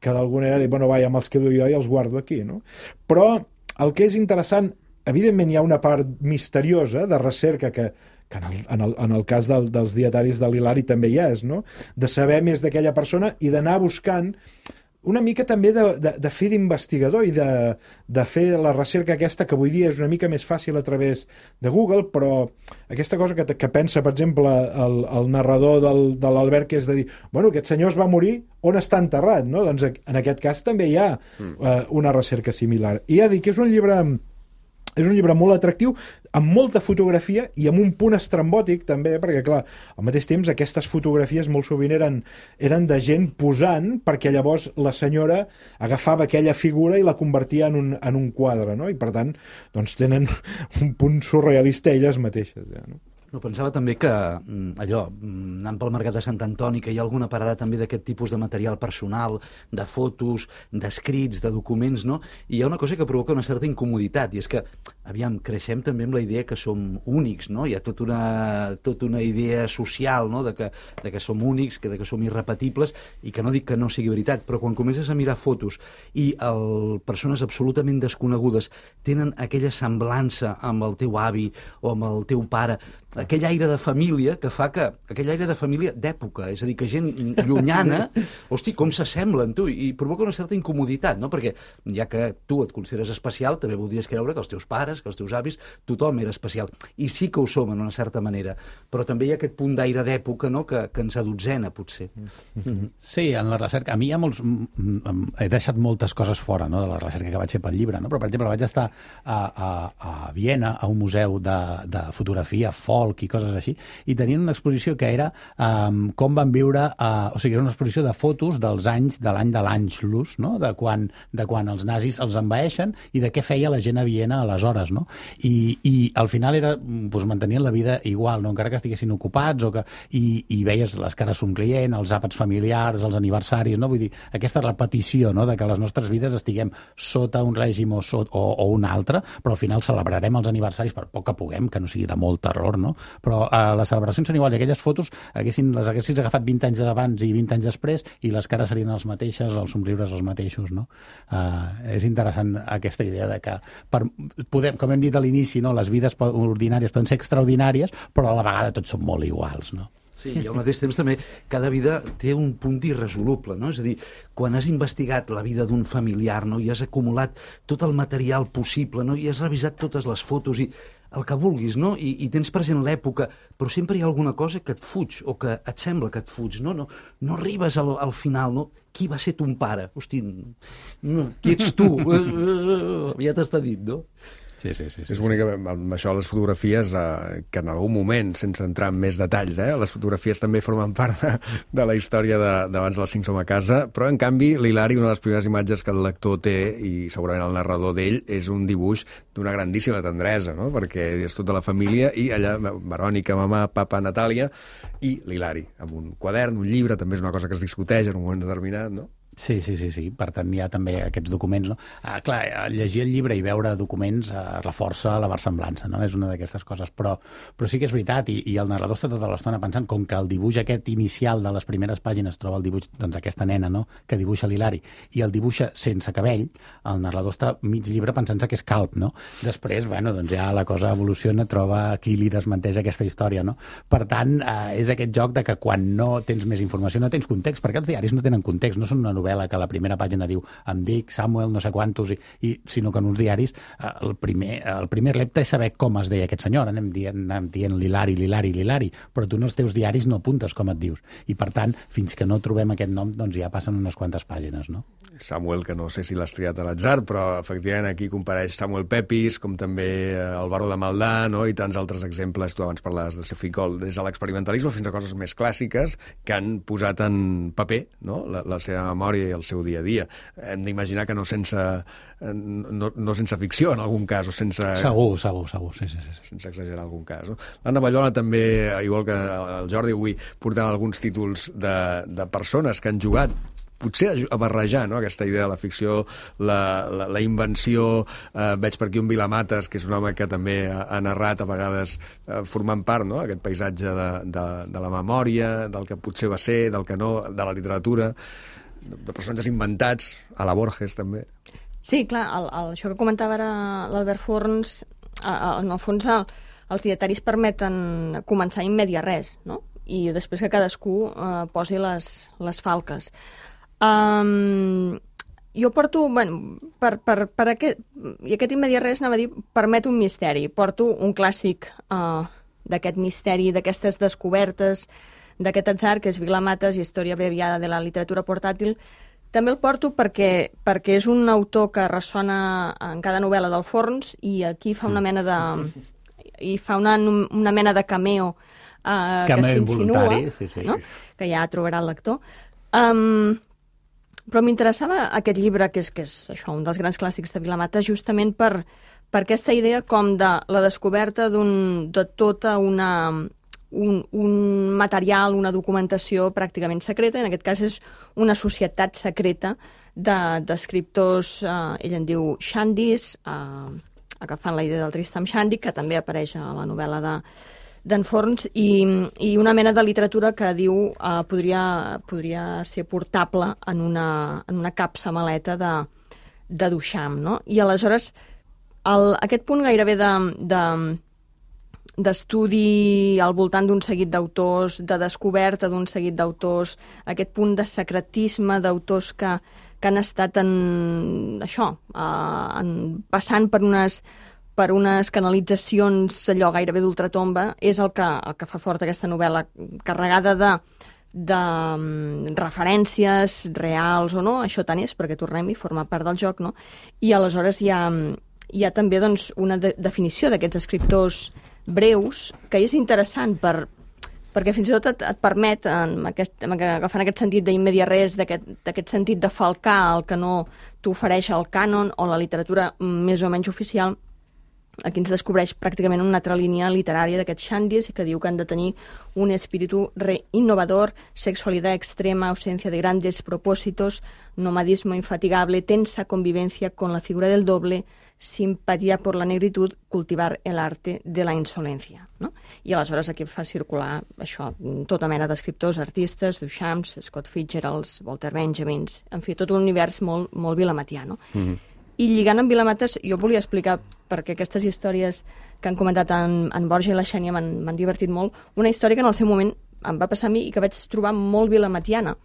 que d'alguna manera ha dit, bueno, va, ja me'ls quedo jo i els guardo aquí, no? Però el que és interessant, evidentment hi ha una part misteriosa de recerca que, que en, el, en, el, en el cas del, dels dietaris de l'Hilari també hi és, no? De saber més d'aquella persona i d'anar buscant una mica també de, de, de fer d'investigador i de, de fer la recerca aquesta que avui dia és una mica més fàcil a través de Google, però aquesta cosa que, que pensa, per exemple, el, el narrador del, de l'Albert, que és de dir, bueno, aquest senyor es va morir, on està enterrat, no? Doncs en aquest cas també hi ha mm. uh, una recerca similar. I ja dic que és un llibre... És un llibre molt atractiu, amb molta fotografia i amb un punt estrambòtic també, perquè clar, al mateix temps aquestes fotografies molt sovint eren, eren de gent posant, perquè llavors la senyora agafava aquella figura i la convertia en un, en un quadre, no? I per tant, doncs tenen un punt surrealista elles mateixes, ja, no? No, pensava també que allò, anant pel mercat de Sant Antoni, que hi ha alguna parada també d'aquest tipus de material personal, de fotos, d'escrits, de documents, no? I hi ha una cosa que provoca una certa incomoditat, i és que, aviam, creixem també amb la idea que som únics, no? Hi ha tota una, tota una idea social, no?, de que, de que som únics, que, de que som irrepetibles, i que no dic que no sigui veritat, però quan comences a mirar fotos i el, persones absolutament desconegudes tenen aquella semblança amb el teu avi o amb el teu pare, aquell aire de família que fa que... aquell aire de família d'època, és a dir, que gent llunyana, hosti, com s'assemblen, tu, i provoca una certa incomoditat, no? Perquè ja que tu et consideres especial, també voldries creure que els teus pares, que els teus avis, tothom era especial. I sí que ho som, en una certa manera, però també hi ha aquest punt d'aire d'època, no?, que, que ens adotzena, potser. Mm-hmm. Sí, en la recerca... A mi hi ha molts... He deixat moltes coses fora, no?, de la recerca que vaig fer pel llibre, no? Però, per exemple, vaig estar a, a, a Viena, a un museu de, de fotografia folk i coses així, i tenien una exposició que era um, com van viure, uh, o sigui, era una exposició de fotos dels anys, de l'any de l'Anschluss, no?, de quan, de quan els nazis els envaeixen i de què feia la gent a Viena aleshores, no? I, i al final era, doncs, mantenien la vida igual, no?, encara que estiguessin ocupats, o que, i, i veies les cares somrient, els àpats familiars, els aniversaris, no? Vull dir, aquesta repetició, no?, de que les nostres vides estiguem sota un règim o, sot, o, o un altre, però al final celebrarem els aniversaris per poc que puguem, que no sigui de molt terror, no? Però eh, les celebracions són iguals, i aquelles fotos haguessin, les haguessis agafat vint anys d'abans i vint anys després, i les cares serien les mateixes, els somriures els mateixos, no? Eh, és interessant aquesta idea de que, per, podem, com hem dit a l'inici, no?, les vides ordinàries poden ser extraordinàries, però a la vegada tots són molt iguals, no? Sí, i al mateix temps també cada vida té un punt irresoluble, no? És a dir, quan has investigat la vida d'un familiar, no?, i has acumulat tot el material possible, no?, i has revisat totes les fotos i el que vulguis, no?, I, i tens present l'època, però sempre hi ha alguna cosa que et fuig o que et sembla que et fuig, no? No, no arribes al, al final, no? Qui va ser ton pare? Hosti, no, qui ets tu? Ja t'està dit, no? Sí, sí, sí, sí. És bonic amb això les fotografies, eh, que en algun moment, sense entrar en més detalls, eh, les fotografies també formen part de, de la història d'abans de, de les cinc som a casa, però en canvi l'Hilari, una de les primeres imatges que el lector té, i segurament el narrador d'ell, és un dibuix d'una grandíssima tendresa, no?, perquè és tota la família, i allà Verònica, mamà, papa, Natàlia, i l'Hilari, amb un quadern, un llibre, també és una cosa que es discuteix en un moment determinat, no? Sí, sí, sí, sí. Per tant, hi ha també aquests documents, no? Ah, clar, llegir el llibre i veure documents eh, reforça la versemblança, no? És una d'aquestes coses, però, però sí que és veritat, i, i el narrador està tota l'estona pensant, com que el dibuix aquest inicial de les primeres pàgines troba el dibuix doncs aquesta nena, no?, que dibuixa l'Hilari, i el dibuixa sense cabell, el narrador està mig llibre pensant-se que és calb, no? Després, bueno, doncs ja la cosa evoluciona, troba qui li desmenteix aquesta història, no? Per tant, eh, és aquest joc de que quan no tens més informació, no tens context, perquè els diaris no tenen context, no són una novel·la que a la primera pàgina diu em dic Samuel no sé quantos, i, i, sinó que en uns diaris eh, el, primer, el primer repte és saber com es deia aquest senyor. Anem dient, anem dient l'Hilari, l'Hilari, l'Hilari, però tu en els teus diaris no apuntes com et dius. I per tant, fins que no trobem aquest nom, doncs ja passen unes quantes pàgines, no? Samuel, que no sé si l'has triat a l'atzar, però efectivament aquí compareix Samuel Pepys, com també el Baró de Maldà, no?, i tants altres exemples. Tu abans parlaves de Ceficol, des de l'experimentalisme fins a coses més clàssiques que han posat en paper, no?, la, la seva memòria memòria i el seu dia a dia. Hem d'imaginar que no sense, no, no sense ficció, en algun cas, o sense... Segur, segur, segur, sí, sí, sí. Sense exagerar en algun cas. No? L'Anna Ballola també, igual que el Jordi, avui portant alguns títols de, de persones que han jugat potser a barrejar, no?, aquesta idea de la ficció, la, la, la invenció. Eh, veig per aquí un Vilamates, que és un home que també ha, ha narrat a vegades eh, formant part, no?, aquest paisatge de, de, de la memòria, del que potser va ser, del que no, de la literatura, de, de personatges inventats, a la Borges també. Sí, clar, el, el, això que comentava ara l'Albert Forns, en el fons el, els dietaris permeten començar in media res, no?, i després que cadascú eh, posi les, les falques. Um, jo porto, bueno, per, per, per aquest, i aquest immediat res anava a dir, permet un misteri. Porto un clàssic uh, d'aquest misteri, d'aquestes descobertes, d'aquest atzar, que és Vilamates, Història abreviada de la literatura portàtil. També el porto perquè, perquè és un autor que ressona en cada novel·la del Forns, i aquí fa una mena de... i fa una, una mena de cameo, uh, cameo que s'insinua, sí, sí. No? Que ja trobarà el lector. Um, Però m'interessava aquest llibre, que és, que és això, un dels grans clàssics de Vilamates, justament per, per aquesta idea com de la descoberta d'un, de tota una, un, un material, una documentació pràcticament secreta. En aquest cas és una societat secreta d'escriptors, de, eh, ell en diu Shandys, eh, agafant la idea del Tristram Shandy, que també apareix a la novel·la de d'en Forns, i, i una mena de literatura que diu eh, podria, podria ser portable en una, en una capsa maleta de, de Duchamp, no? I aleshores el, aquest punt gairebé de, de, d'estudi al voltant d'un seguit d'autors, de descoberta d'un seguit d'autors, aquest punt de secretisme d'autors que, que han estat en, això, eh, en, passant per unes per unes canalitzacions allò gairebé d'ultratomba, és el que, el que fa fort aquesta novel·la, carregada de, de um, referències reals o no, això tant és, perquè tornem-hi, forma part del joc, no? I aleshores hi ha, hi ha també doncs, una de, definició d'aquests escriptors breus, que és interessant per, perquè fins i tot et, et permet, en aquest, agafant aquest sentit d'immediat res, d'aquest sentit de falcar el que no t'ofereix el cànon o la literatura més o menys oficial. Aquí ens descobreix pràcticament una altra línia literària d'aquests Shandys, que diu que han de tenir un espíritu innovador, sexualidad extrema, ausencia de grandes propósitos, nomadismo infatigable, tensa convivencia con la figura del doble, simpatía por la negritud, cultivar el arte de la insolencia. No? I aleshores aquí fa circular això, tota mena d'escriptors, artistes, Duchamps, Scott Fitzgerald, Walter Benjamins, en fi, tot un univers molt, molt vilamatià, no? Mm-hmm. I lligant amb Vilamates, jo volia explicar, perquè aquestes històries que han comentat en, en Borja i la Xènia m'han divertit molt, una història que en el seu moment em va passar a mi i que vaig trobar molt vilamatiana,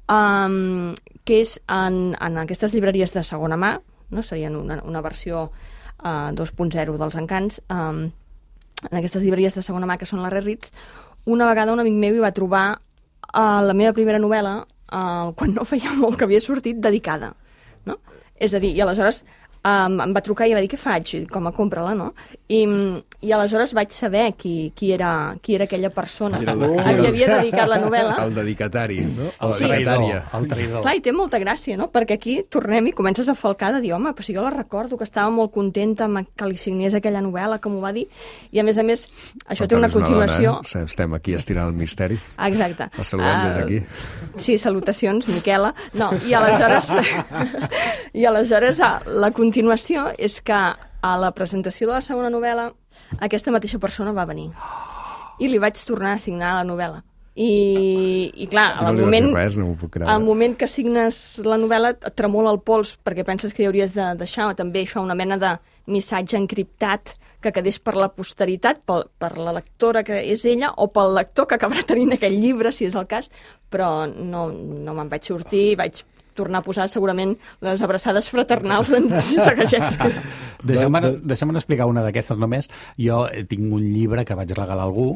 um, que és en, en aquestes llibreries de segona mà, no? Serien una, una versió uh, dos punt zero dels encants, um, en aquestes llibreries de segona mà que són la Rare-Reads. Una vegada un amic meu hi va trobar uh, la meva primera novel·la, uh, quan no feia molt que havia sortit, dedicada, no? És a dir, i aleshores um, em va trucar i va dir, què faig? I, com a compra-la, no? I, i aleshores vaig saber qui, qui, era, qui era aquella persona el, a qui havia dedicat la novel·la. El dedicatari, no? El sí. traïdor, el traïdor. Clar, i té molta gràcia, no? Perquè aquí tornem i comences a falcar de dir, home, però si jo la recordo, que estava molt contenta amb que li signés aquella novel·la, que m'ho va dir, i a més a més, això però té una continuació... Una dona, eh? Estem aquí estirant el misteri. Exacte. La saludem uh, des d'aquí. Sí, salutacions, Miquela. No, i aleshores... I aleshores la continuació és que a la presentació de la segona novel·la aquesta mateixa persona va venir i li vaig tornar a signar la novel·la. I, i clar, no al moment, res, no m'ho puc creure. al moment que signes la novel·la et tremola el pols perquè penses que hi hauries de deixar també això, una mena de missatge encriptat que quedés per la posteritat, per, per la lectora que és ella o pel lector que acabarà tenint aquell llibre, si és el cas, però no, no me'n vaig sortir, vaig tornar a posar segurament les abraçades fraternals d'en Sagajewski. Deixa'm, deixa'm explicar una d'aquestes només. Jo tinc un llibre que vaig regalar a algú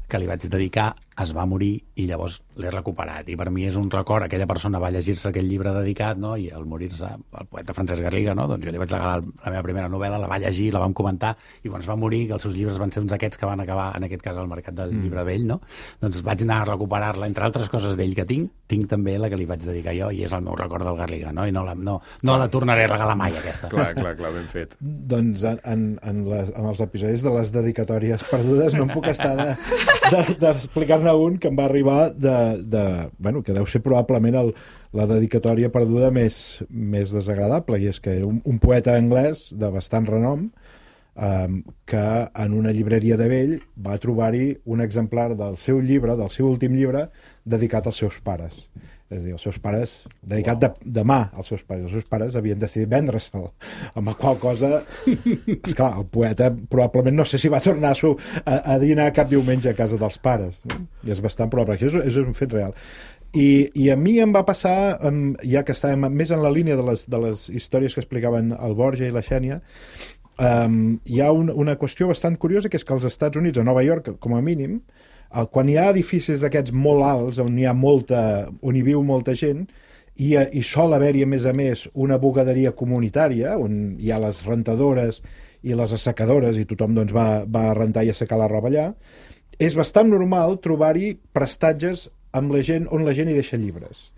que li vaig dedicar, es va morir i llavors l'he recuperat. I per mi és un record, aquella persona va llegir-se aquell llibre dedicat, no? I al morir-se, el poeta Francesc Garriga, no? Doncs jo li vaig regalar la meva primera novel·la, la va llegir, la vam comentar, i quan es va morir, que els seus llibres van ser uns aquests que van acabar, en aquest cas, al mercat del mm. llibre vell, no? Doncs vaig anar a recuperar-la, entre altres coses d'ell que tinc, tinc també la que li vaig dedicar jo, i és el meu record del Garriga, no? I no la, no, no la tornaré a regalar mai, aquesta. Clar, clar, clar, ben fet. Doncs en, en, les, en els episodis de les dedicatòries perdudes no em puc estar d'explicar-ne de, de, un que em va arribar de, de, bueno, que deu ser probablement el, la dedicatòria perduda més, més desagradable, i és que era un, un poeta anglès de bastant renom um, que en una llibreria de vell va trobar-hi un exemplar del seu llibre, del seu últim llibre, dedicat als seus pares. És a dir, els seus pares, dedicat de, de mà als seus pares, els seus pares havien decidit vendre-se'l, amb la qual cosa, esclar, el poeta probablement no sé si va tornar a, a, a dinar cap diumenge a casa dels pares, no? I és bastant probable, això és, és un fet real. I, i a mi em va passar, ja que estàvem més en la línia de les, de les històries que explicaven el Borja i la Xènia, um, hi ha un, una qüestió bastant curiosa, que és que als Estats Units, a Nova York, com a mínim, quan hi ha edificis d'aquests molt alts, on hi ha molta, on hi viu molta gent, i, i sol haver-hi, a més a més, una bugaderia comunitària, on hi ha les rentadores i les assecadores, i tothom doncs, va, va a rentar i assecar la roba allà, és bastant normal trobar-hi prestatges amb la gent, on la gent hi deixa llibres.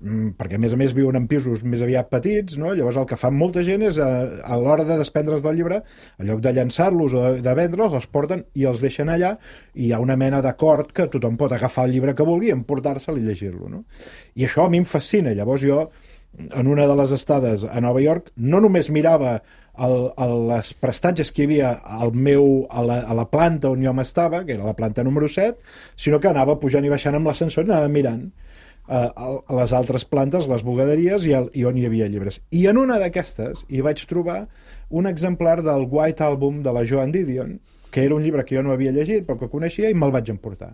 Mm, perquè, a més a més, viuen en pisos més aviat petits, no? Llavors el que fan molta gent és, a, a l'hora de desprendre's del llibre, en lloc de llançar-los o de, de vendre'ls, els porten i els deixen allà, i hi ha una mena d'acord que tothom pot agafar el llibre que vulgui, emportar-se'l i llegir-lo, no? I això a mi em fascina. Llavors jo, en una de les estades a Nova York, no només mirava el, el, les prestatges que hi havia al meu, a, la, a la planta on jo m'estava, que era la planta número set, sinó que anava pujant i baixant amb l'ascensor i anava mirant a les altres plantes, les bugaderies, i, el, i on hi havia llibres. I en una d'aquestes hi vaig trobar un exemplar del White Album de la Joan Didion, que era un llibre que jo no havia llegit però que coneixia, i me'l vaig emportar.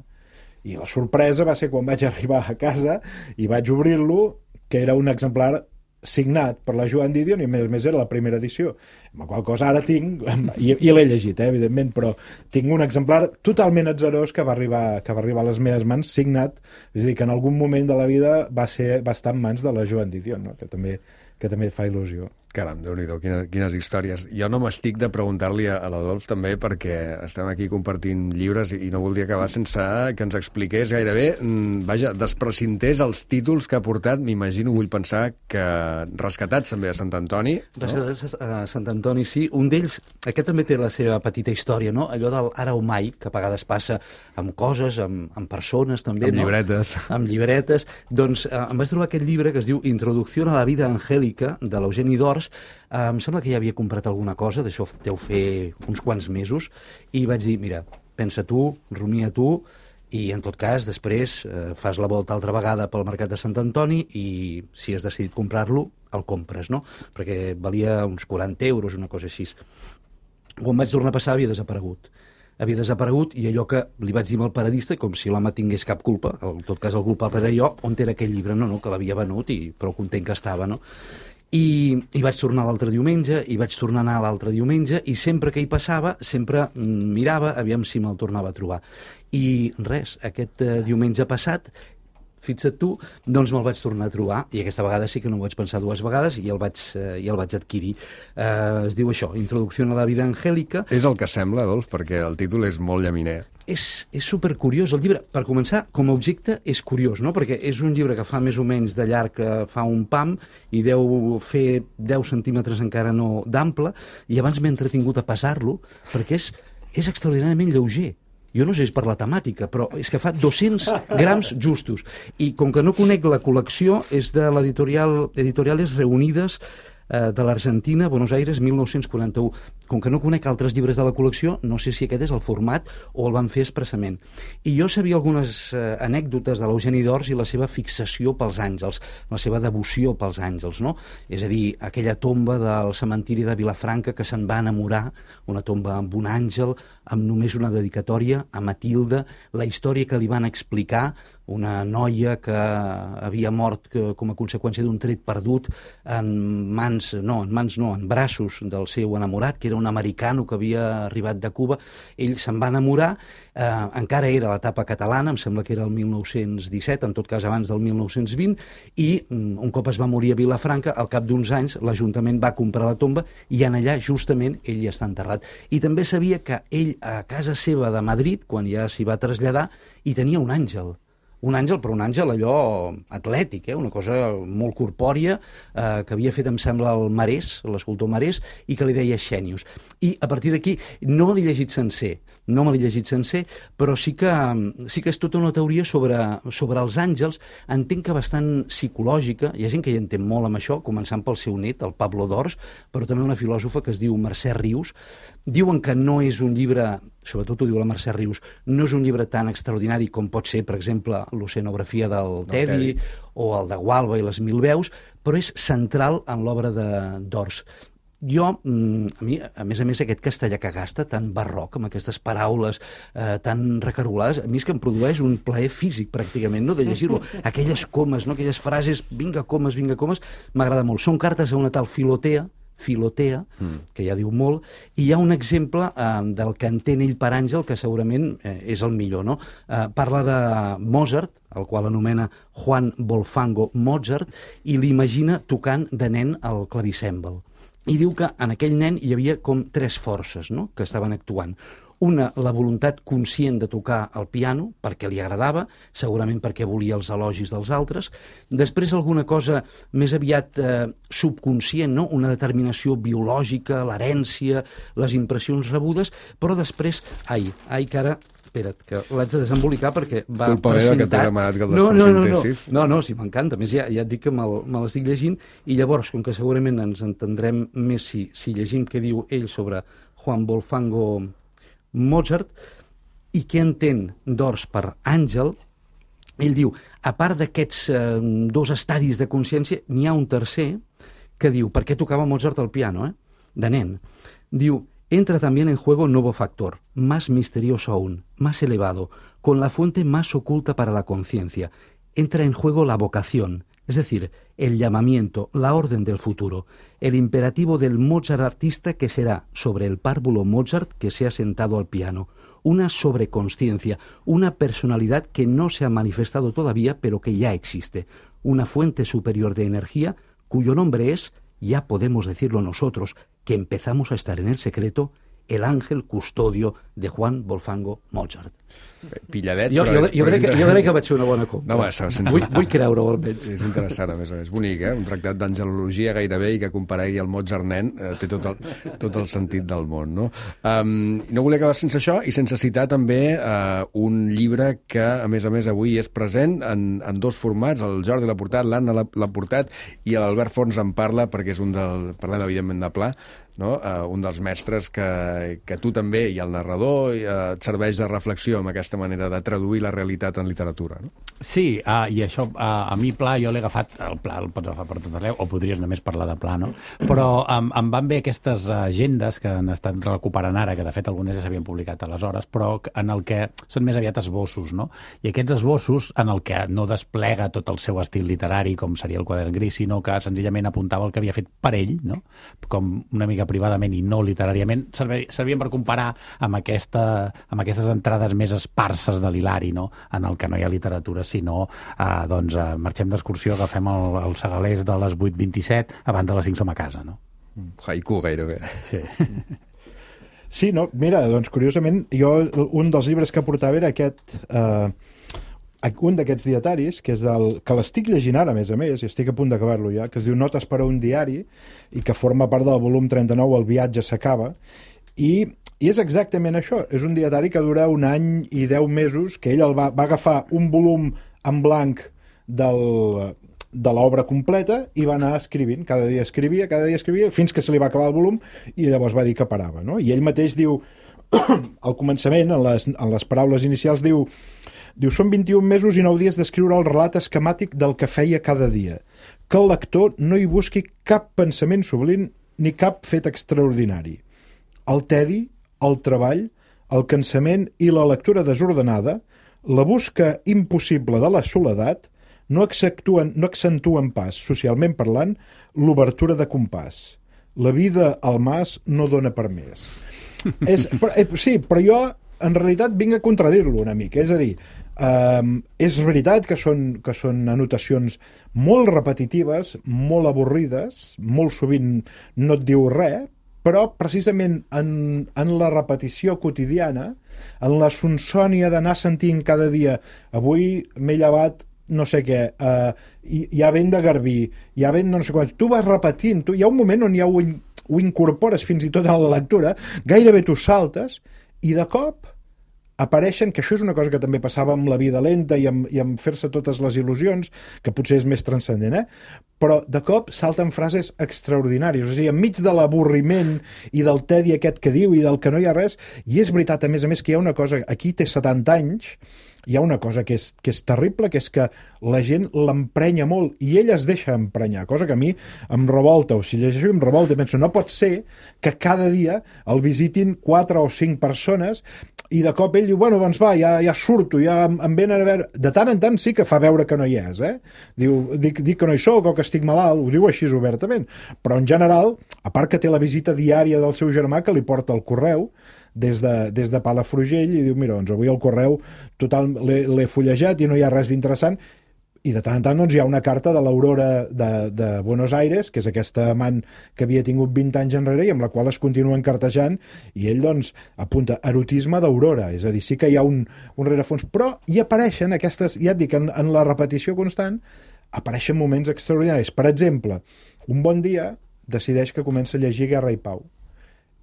I la sorpresa va ser quan vaig arribar a casa i vaig obrir-lo, que era un exemplar signat per la Joan Didion, i a més a més era la primera edició, amb la qual cosa ara tinc, i, i l'he llegit, eh, evidentment, però tinc un exemplar totalment atzerós que va arribar, que va arribar a les meves mans, signat, és a dir, que en algun moment de la vida va, ser, va estar en mans de la Joan Didion, no? que, també, que també fa il·lusió. Caram, Déu-n'hi-do, quines, quines històries. Jo no m'estic de preguntar-li a, a l'Adolf també, perquè estem aquí compartint llibres i, i no voldria acabar sense que ens expliqués gairebé, mm, vaja, desprecintés els títols que ha portat, m'imagino, vull pensar que rescatats també a Sant Antoni. Rescatats no? a Sant Antoni, sí. Un d'ells, aquest també té la seva petita història, no? Allò del ara o mai, que a vegades passa amb coses, amb, amb persones també, amb no? llibretes. Amb llibretes. Doncs eh, em vaig trobar aquest llibre que es diu Introducció a la vida angélica, de l'Eugeni d'Ors. Uh, em sembla que ja havia comprat alguna cosa, d'això deu fer uns quants mesos, i vaig dir, mira, pensa tu, rumia tu, i en tot cas després uh, fas la volta altra vegada pel mercat de Sant Antoni i si has decidit comprar-lo, el compres, no? Perquè valia uns quaranta euros, una cosa així. Quan vaig tornar a passar havia desaparegut. Havia desaparegut, i allò que li vaig dir al paradista, com si l'home tingués cap culpa, en tot cas el culpable era jo, on era aquell llibre? No, no, que l'havia venut i prou content que estava, no? I, i vaig tornar l'altre diumenge, i vaig tornar a anar l'altre diumenge, i sempre que hi passava, sempre mirava, aviam si me'l tornava a trobar. I res, aquest eh, diumenge passat, fixa't tu, doncs me'l vaig tornar a trobar, i aquesta vegada sí que no ho vaig pensar dues vegades, i el vaig, eh, i el vaig adquirir. Eh, es diu això, Introducció a la vida angélica. És el que sembla, Adolf, perquè el títol és molt llaminer. És, és supercuriós el llibre. Per començar, com a objecte és curiós, no? Perquè és un llibre que fa més o menys de llarg, que fa un pam, i deu fer deu centímetres encara no d'ample, i abans m'he entretingut a pesar-lo, perquè és, és extraordinàriament lleuger. Jo no sé si és per la temàtica, però és que fa dos-cents grams justos. I com que no conec la col·lecció, és de l'editorial Editoriales Reunides, de l'Argentina, Buenos Aires, mil nou-cents quaranta-u. Com que no conec altres llibres de la col·lecció, no sé si aquest és el format o el van fer expressament. I jo sabia algunes eh, anècdotes de l'Eugeni d'Ors i la seva fixació pels àngels, la seva devoció pels àngels, no? És a dir, aquella tomba del cementiri de Vilafranca que se'n va enamorar, una tomba amb un àngel, amb només una dedicatòria a Matilde, la història que li van explicar, una noia que havia mort que, com a conseqüència d'un tret perdut en mans, no, en mans no, en braços del seu enamorat, que era era un americano que havia arribat de Cuba, ell se'n va enamorar, eh, encara era l'etapa catalana, em sembla que era el mil nou-cents disset, en tot cas abans del mil nou-cents vint, i un cop es va morir a Vilafranca, al cap d'uns anys l'Ajuntament va comprar la tomba i en allà justament ell hi està enterrat. I també sabia que ell a casa seva de Madrid, quan ja s'hi va traslladar, hi tenia un àngel. Un àngel, però un àngel allò atlètic, eh? Una cosa molt corpòria, eh, que havia fet, em sembla, el Marès, l'escultor Marès, i que li deia Xènius. I a partir d'aquí no me l'he llegit sencer, no me l'he llegit sencer, però sí que, sí que és tota una teoria sobre, sobre els àngels, entenc que bastant psicològica, hi ha gent que hi entén molt amb això, començant pel seu net, el Pablo Dors, però també una filòsofa que es diu Mercè Rius. Diuen que no és un llibre, sobretot ho diu la Mercè Rius, no és un llibre tan extraordinari com pot ser, per exemple, l'oceanografia del Tedi o el de Gualba i les Mil veus, però és central en l'obra de Dors. Jo, a mi, a més a més, aquest castellà que gasta, tan barroc, amb aquestes paraules eh, tan recargolades, a mi és que em produeix un plaer físic, pràcticament, no?, de llegir-lo. Aquelles comes, no?, aquelles frases, vinga comes, vinga comes, m'agrada molt. Són cartes a una tal Filotea, Filotea, que ja diu molt, i hi ha un exemple eh, del que entén ell per àngel que segurament eh, és el millor, no? Eh, parla de Mozart, el qual anomena Juan Wolfgango Mozart, i l'imagina tocant de nen el clavicèmbal. I diu que en aquell nen hi havia com tres forces, no?, que estaven actuant. Una, la voluntat conscient de tocar el piano, perquè li agradava, segurament perquè volia els elogis dels altres. Després, alguna cosa més aviat eh, subconscient, no?, una determinació biològica, l'herència, les impressions rebudes, però després, ai, ai, que ara... Espera't, que l'haig de desembolicar perquè va Culpa precintat... meva que t'he demanat que el no, no, no, no, despresentessis. no, no, sí, m'encanta. A més, ja, ja et dic que me l'estic llegint i llavors, com que segurament ens entendrem més si, si llegim què diu ell sobre Juan Wolfgango Mozart i què entén Dors per àngel, ell diu, a part d'aquests eh, dos estadis de consciència, n'hi ha un tercer que diu, per què tocava Mozart el piano, eh? De nen. Diu, entra también en juego un nuevo factor, más misterioso aún, más elevado, con la fuente más oculta para la conciencia. Entra en juego la vocación, es decir, el llamamiento, la orden del futuro, el imperativo del Mozart artista que será sobre el párvulo Mozart que se ha sentado al piano, una sobreconsciencia, una personalidad que no se ha manifestado todavía pero que ya existe, una fuente superior de energía cuyo nombre es, ya podemos decirlo nosotros, que empezamos a estar en el secreto, el ángel custodio de Juan Wolfgango Mozart. Pilladet, jo, però... Jo, jo, crec que, jo crec que vaig fer una bona compra. No, va, sense... vull, vull creure-ho, almenys. És interessant, a més a més. Bonic, eh? Un tractat d'angelologia gairebé i que comparegui el Mozart nen eh, té tot el, tot el sentit del món, no? Um, no volia acabar sense això i sense citar també uh, un llibre que, a més a més, avui és present en, en dos formats. El Jordi l'ha portat, l'Anna l'ha portat i l'Albert Fons en parla perquè és un del... Parlem, evidentment, de Pla, no? Uh, un dels mestres que, que tu també, i el narrador, uh, et serveix de reflexió amb aquesta manera de traduir la realitat en literatura, no? Sí, uh, i això, uh, a mi Pla, jo l'he agafat, el Pla el pots agafar per tot arreu, o podries només parlar de Pla, no? Però um, em van bé aquestes agendes que han estat recuperant ara, que de fet algunes ja s'havien publicat aleshores, però en el que són més aviat esbossos, no? I aquests esbossos, en el que no desplega tot el seu estil literari, com seria el quadern gris, sinó que senzillament apuntava el que havia fet per ell, no? Com una mica privadament i no literàriament, servien per comparar amb, aquesta, amb aquestes entrades més esparses de l'Hilari, no? En el que no hi ha literatura, sinó eh, doncs, eh, marxem d'excursió, agafem el, el segalers de les vuit vint-i-set, abans de les cinc som a casa, no? Haiku, gairebé. Sí. Sí, no, mira, doncs curiosament, jo un dels llibres que portava era aquest... Eh, un d'aquests dietaris, que és el que l'estic llegint ara, a més a més, i estic a punt d'acabar-lo ja, que es diu Notes per a un diari, i que forma part del volum trenta-nou, El viatge s'acaba, i, i és exactament això, és un dietari que dura un any i deu mesos, que ell el va, va agafar un volum en blanc del, de l'obra completa i va anar escrivint, cada dia escrivia, cada dia escrivia, fins que se li va acabar el volum, i llavors va dir que parava, no? I ell mateix diu, al començament, en les, en les paraules inicials, diu... Diu, són vint-i-un mesos i nou dies d'escriure el relat esquemàtic del que feia cada dia. Que el lector no hi busqui cap pensament sublim ni cap fet extraordinari. El tedi, el treball, el cansament i la lectura desordenada, la busca impossible de la soledat, no accentuen, no accentuen pas, socialment parlant, l'obertura de compàs. la vida al mas no dona per més. és, però, eh, sí, però jo en realitat vinc a contradir-lo una mica, és a dir, Um, és veritat que són, que són anotacions molt repetitives, molt avorrides, molt sovint no et diu res, però precisament en, en la repetició quotidiana, en la sonsònia d'anar sentint cada dia avui m'he llevat no sé què, uh, hi, hi ha vent de garbí, hi ha vent no sé quan, tu vas repetint, tu, hi ha un moment on ja ho, in, ho incorpores fins i tot a la lectura, gairebé tu saltes i de cop apareixen, que això és una cosa que també passava amb la vida lenta i amb, i amb fer-se totes les il·lusions, que potser és més transcendent, eh? Però de cop salten frases extraordinàries, o sigui, enmig de l'avorriment i del tedi aquest que diu i del que no hi ha res, i és veritat, a més a més, que hi ha una cosa, aquí té setanta anys, hi ha una cosa que és, que és terrible, que és que la gent l'emprenya molt i ell es deixa emprenyar, cosa que a mi em revolta, o si llegeixo em revolta i penso, no pot ser que cada dia el visitin quatre o cinc persones i de cop ell diu, bueno, doncs va, ja, ja surto, ja em venen a veure... De tant en tant sí que fa veure que no hi és, eh? Diu, dic, dic que no hi soc o que estic malalt, ho diu així obertament. Però en general, a part que té la visita diària del seu germà que li porta el correu, des de, des de Palafrugell, i diu, mira, doncs avui el correu total l'he fullejat i no hi ha res d'interessant, i de tant en tant doncs, hi ha una carta de l'Aurora de, de Buenos Aires, que és aquesta amant que havia tingut vint anys enrere i amb la qual es continua encartejant, i ell doncs apunta erotisme d'Aurora, és a dir, sí que hi ha un, un rerefons, però hi apareixen aquestes, ja et dic, en, en la repetició constant, apareixen moments extraordinaris. Per exemple, un bon dia decideix que comença a llegir Guerra i Pau,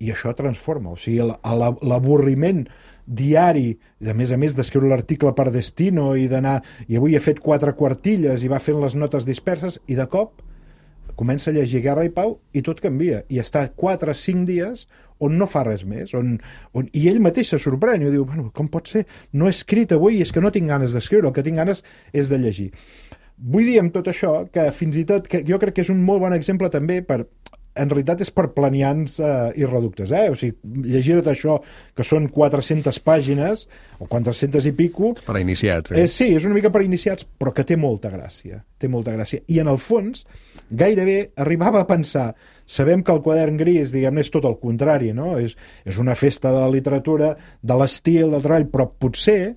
i això transforma, o sigui, l'avorriment diari, a més a més d'escriure l'article per destino i d'anar, i avui he fet quatre quartilles i va fent les notes disperses, i de cop comença a llegir Guerra i Pau i tot canvia, i està quatre o cinc dies on no fa res més, on, on, i ell mateix se sorprèn i diu, bueno, com pot ser? No he escrit avui i és que no tinc ganes d'escriure, el que tinc ganes és de llegir. Vull dir amb tot això que fins i tot, que jo crec que és un molt bon exemple també per... En realitat és per planians eh, i reductes, eh? O sigui, llegir-te això, que són quatre-centes pàgines, o quatre-centes i pico... Per a iniciats, eh? eh? Sí, és una mica per a iniciats, però que té molta gràcia. Té molta gràcia. I en el fons, gairebé arribava a pensar, sabem que el quadern gris, diguem-ne, és tot el contrari, no? És, és una festa de la literatura, de l'estil, del treball, però potser,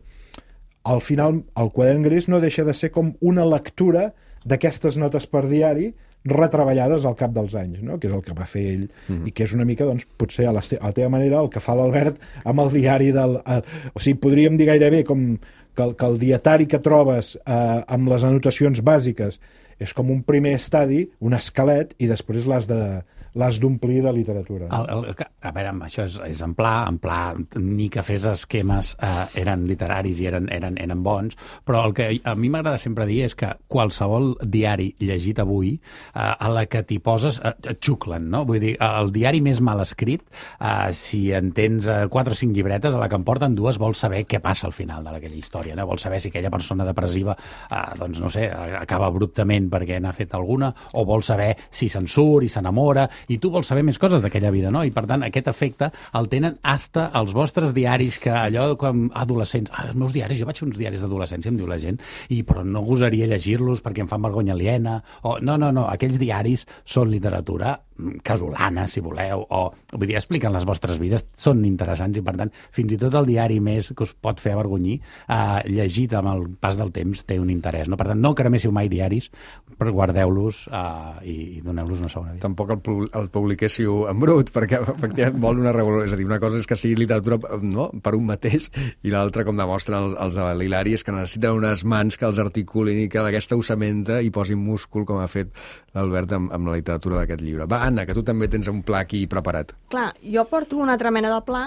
al final, el quadern gris no deixa de ser com una lectura d'aquestes notes per diari retreballades al cap dels anys, no? Que és el que va fer ell, mm-hmm. i que és una mica, doncs, potser a la, a la teva manera el que fa l'Albert amb el diari del... Eh, o sigui, podríem dir gairebé com que el, que el dietari que trobes eh, amb les anotacions bàsiques és com un primer estadi, un esquelet, i després l'has de l'has d'omplir de literatura. El, el, a veure, això és, és en pla, en pla, ni que fes esquemes eh, eren literaris i eren, eren, eren bons, però el que a mi m'agrada sempre dir és que qualsevol diari llegit avui, eh, a la que t'hi poses, eh, et xuclen, no? Vull dir, el diari més mal escrit, eh, si en tens eh, quatre o cinc llibretes, a la que en porten dues, vols saber què passa al final d'aquella història, no? Vols saber si aquella persona depressiva, eh, doncs no sé, acaba abruptament perquè n'ha fet alguna, o vols saber si se'n surt i s'enamora, i tu vols saber més coses d'aquella vida, no? I per tant aquest efecte el tenen hasta els vostres diaris, que allò com adolescents, ah, els meus diaris, jo vaig fer uns diaris d'adolescència, em diu la gent, i però no gosaria llegir-los perquè em fan vergonya aliena, o no, no, no, aquells diaris són literatura casolana, si voleu, o vull dir, expliquen les vostres vides, són interessants, i per tant, fins i tot el diari més que us pot fer avergonyir, eh, llegit amb el pas del temps, té un interès, no? Per tant, no creméssiu mai diaris, però guardeu-los eh, i, i doneu-los una segona vida. Tampoc el, el publiquéssiu en brut, perquè efectivament vol una revolució, és a dir, una cosa és que sigui literatura, no?, per un mateix, i l'altra, com demostren els, els de l'Hilari, és que necessiten unes mans que els articulin i que d'aquesta osamenta hi posin múscul, com ha fet l'Albert amb, amb la literatura d'aquest llibre. Va, Anna, que tu també tens un pla aquí preparat. Clar, jo porto una altra mena de pla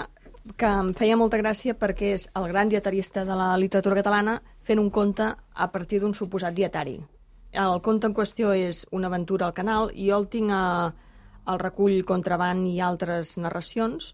que em feia molta gràcia perquè és el gran dietarista de la literatura catalana fent un conte a partir d'un suposat dietari. El conte en qüestió és una aventura al canal i jo el tinc a, al recull Contraband i altres narracions.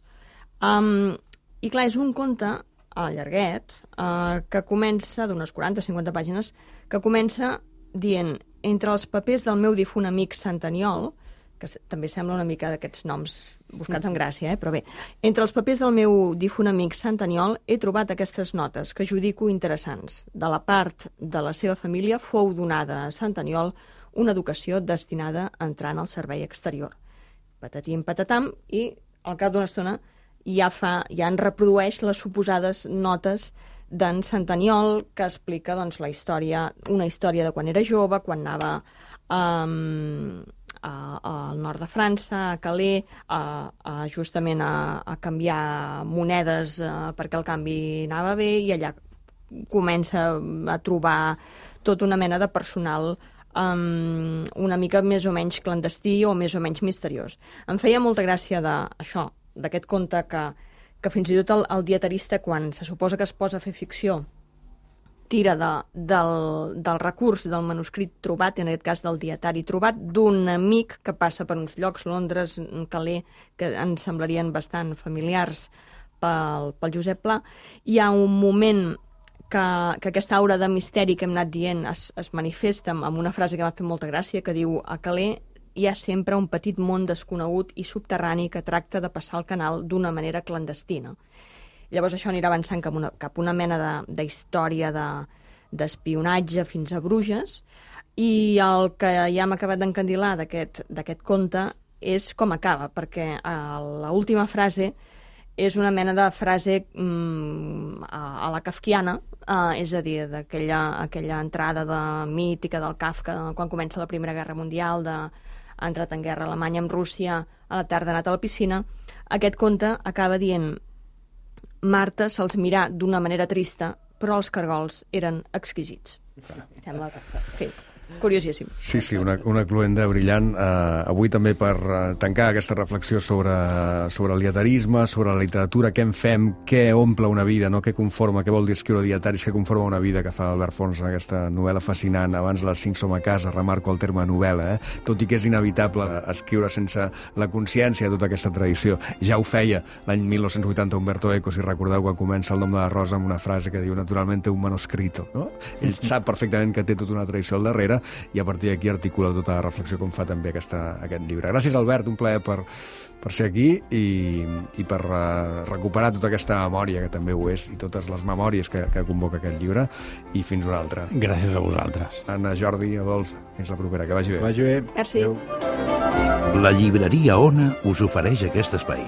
Um, I clar, és un conte a llarguet uh, que comença, d'unes quaranta o cinquanta pàgines, que comença dient entre els papers del meu difunt amic Santaniol, que també sembla una mica d'aquests noms buscats amb gràcia, eh? Però bé, entre els papers del meu difunt amic Santaniol he trobat aquestes notes que judico interessants. De la part de la seva família fou donada a Santaniol una educació destinada a entrar en el servei exterior. patatim, patatam, i al cap d'una estona ja, fa, ja en reprodueix les suposades notes d'en Santaniol, que explica doncs, la història, una història de quan era jove, quan anava um, a, al nord de França, a Calais, a, a, justament a, a canviar monedes uh, perquè el canvi anava bé, i allà comença a trobar tota una mena de personal um, una mica més o menys clandestí o més o menys misteriós. Em feia molta gràcia d'això, d'aquest conte que, que fins i tot el, el dietarista, quan se suposa que es posa a fer ficció, tira de, del, del recurs del manuscrit trobat, en aquest cas del dietari trobat, d'un amic que passa per uns llocs, Londres, Calais, que ens semblarien bastant familiars pel, pel Josep Pla. Hi ha un moment que, que aquesta aura de misteri que hem anat dient es, es manifesta amb una frase que m'ha fet molta gràcia, que diu: a Calais hi ha sempre un petit món desconegut i subterrani que tracta de passar el canal d'una manera clandestina. Llavors això anirà avançant cap una, cap una mena d'història de, d'espionatge fins a Bruges, i el que ja hem acabat d'encandilar d'aquest conte és com acaba, perquè l'última frase és una mena de frase mm, a, a la kafkiana, eh, és a dir, d'aquella aquella entrada de, mítica del Kafka, quan comença la Primera Guerra Mundial, de ha entrat en guerra Alemanya amb Rússia, a la tarda ha anat a la piscina. Aquest conte acaba dient: Marta se'ls mirà d'una manera trista, però els cargols eren exquisits. Sembla que... Sí, curiosíssim. Sí, sí, una, una cluenda brillant. Uh, avui també per uh, tancar aquesta reflexió sobre, sobre el dietarisme, sobre la literatura, què en fem, què omple una vida, no? Què conforma, què vol dir escriure dietaris, què conforma una vida, que fa Albert Fons en aquesta novel·la fascinant. Abans les cinc som a casa, remarco el terme novel·la, eh? Tot i que és inevitable escriure sense la consciència de tota aquesta tradició. Ja ho feia l'any mil nou-cents vuitanta Umberto Eco, si recordeu, quan comença El nom de la rosa amb una frase que diu: naturalmente un manuscrito, no? Ell sap perfectament que té tota una tradició al darrere, i a partir d'aquí articula tota la reflexió com fa també aquesta, aquest llibre. Gràcies, Albert, un plaer per, per ser aquí i, i per uh, recuperar tota aquesta memòria, que també ho és, i totes les memòries que, que convoca aquest llibre, i fins una altra. Gràcies a vosaltres. Anna, Jordi, Adolf, fins la propera. Que vagi bé. Que vagi bé. Merci. Adéu. La llibreria Ona us ofereix aquest espai.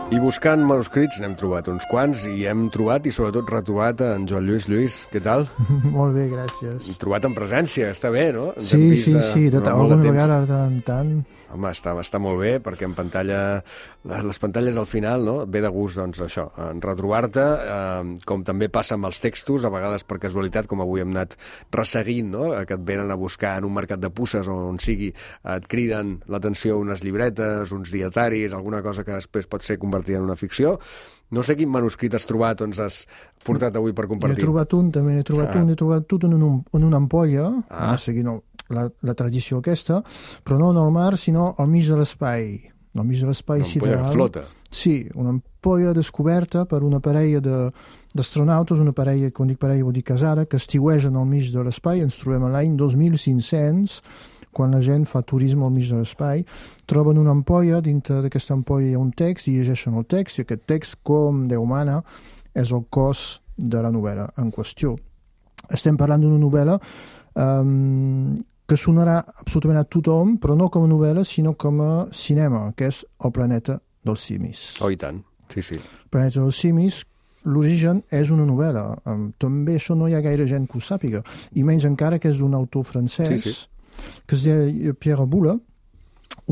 I buscant manuscrits n'hem trobat uns quants, i hem trobat i sobretot retrobat en Joan Lluís. Lluís, què tal? Molt bé, gràcies. Trobat en presència, està bé, no? Ens sí, sí, de, sí, de, alguna vegada de tant en tant. Home, està, està molt bé, perquè en pantalla, les pantalles al final, no? Ve de gust, doncs, això, en retrobar-te, eh, com també passa amb els textos, a vegades per casualitat, com avui hem anat resseguint, no? Que et venen a buscar en un mercat de puces o on sigui, et criden l'atenció unes llibretes, uns dietaris, alguna cosa que després pot ser convertida en una ficció. No sé quin manuscrit has trobat o ens has portat avui per compartir. He trobat un, també n'he trobat ah. un, he trobat tot en, un, en una ampolla, ah. no, seguint la, la tradició aquesta, però no en el mar, sinó al mig de l'espai. Al mig de l'espai sideral. Una ampolla flota. Sí, una ampolla descoberta per una parella d'astronautes, una parella, quan dic parella vol dir casada, que estiuegen al mig de l'espai. Ens trobem a l'any dos mil cinc-cents, quan la gent fa turisme al mig de l'espai, troben una ampolla, dintre d'aquesta ampolla hi ha un text, i llegeixen el text, i aquest text, com Déu mana, és el cos de la novel·la en qüestió. Estem parlant d'una novel·la um, que sonarà absolutament a tothom, però no com a novel·la, sinó com a cinema, que és El planeta dels simis. Oh, i tant, sí, sí. El planeta dels simis, l'origen és una novel·la. Um, també això no hi ha gaire gent que ho sàpiga, i menys encara que és d'un autor francès, sí, sí, que es deia Pierre Boulle,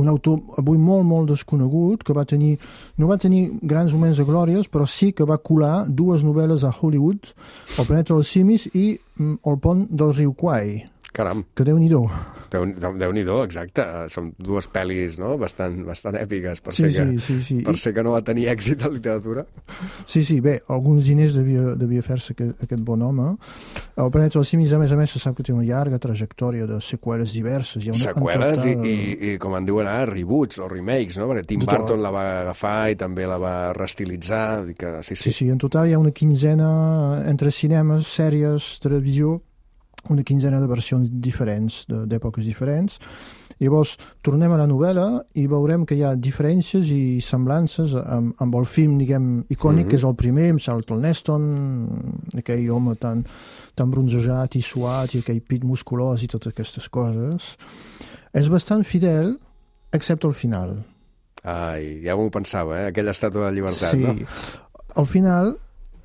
un autor avui molt, molt desconegut, que va tenir, no va tenir grans moments de glòries, però sí que va colar dues novel·les a Hollywood, El planeta dels simis i mm, El pont del riu Kwai. Caram. Que Déu-n'hi-do. Déu-n'hi-do, exacte. Són dues pel·lis, no?, bastant, bastant èpiques, per, sí, ser que, sí, sí, sí. per ser que no va tenir èxit en literatura. Sí, sí, bé, alguns diners devia, devia fer-se aquest, aquest bon home. El planeta dels simis, a més a més, se sap que té una llarga trajectòria de seqüeles diverses. Hi ha una, seqüeles total... i, i, i, com en diuen ara, reboots o remakes, no? Perquè Tim total. Burton la va agafar i també la va reestilitzar. Que, sí, sí. sí, sí, en total hi ha una quinzena entre cinemes, sèries, televisió, una quinzena de versions diferents, d'èpoques diferents. Llavors, tornem a la novel·la i veurem que hi ha diferències i semblances amb, amb el film, diguem, icònic, mm-hmm. que és el primer, amb Charlton Heston, aquell home tan, tan bronzejat i suat, i aquell pit musculós i totes aquestes coses. És bastant fidel, excepte al final. Ai, ja m'ho pensava, eh? Aquella estàtua de llibertat, sí. no? Al final,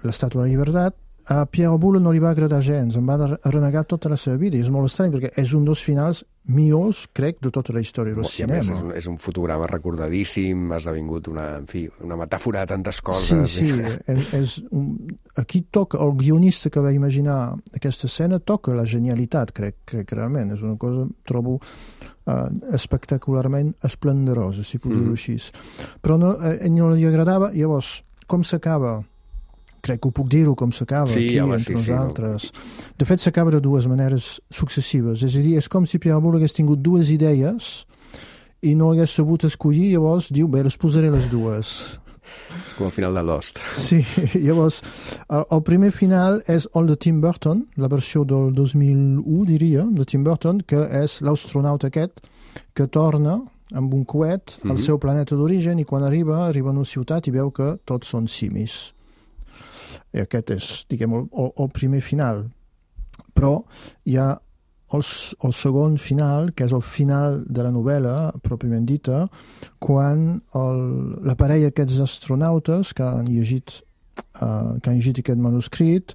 l'estàtua de llibertat, a Pierre Boulle no li va agradar gens, em va renegar tota la seva vida, i és molt estrany, perquè és un dels finals millors, crec, de tota la història del cinema. Més, és, un, és un fotograma recordadíssim, ha esdevingut una, en fi, una metàfora de tantes coses. Sí, sí, és, és un, aquí toca, el guionista que va imaginar aquesta escena toca la genialitat, crec, crec realment, és una cosa, trobo, uh, espectacularment esplendorosa, si puc mm. dir-ho així. Però no, eh, no li agradava, llavors, com s'acaba? Crec que ho puc dir-ho com s'acaba sí, aquí home, entre sí, nosaltres. Sí, no. De fet, s'acaba de dues maneres successives. És a dir, és com si Pierre Boulle hagués tingut dues idees i no hagués sabut escollir, llavors diu, bé, les posaré les dues. Com al final de Lost. Sí, llavors, el, el primer final és el de Tim Burton, la versió del dos mil u, diria, de Tim Burton, que és l'astronauta aquest que torna amb un coet al mm-hmm. seu planeta d'origen i quan arriba, arriba a una ciutat i veu que tots són simis. I aquest és, diguem, el, el, el primer final. Però hi ha el, el segon final, que és el final de la novel·la, pròpiament dita, quan el, la parella aquests astronautes que han llegit, uh, que han llegit aquest manuscrit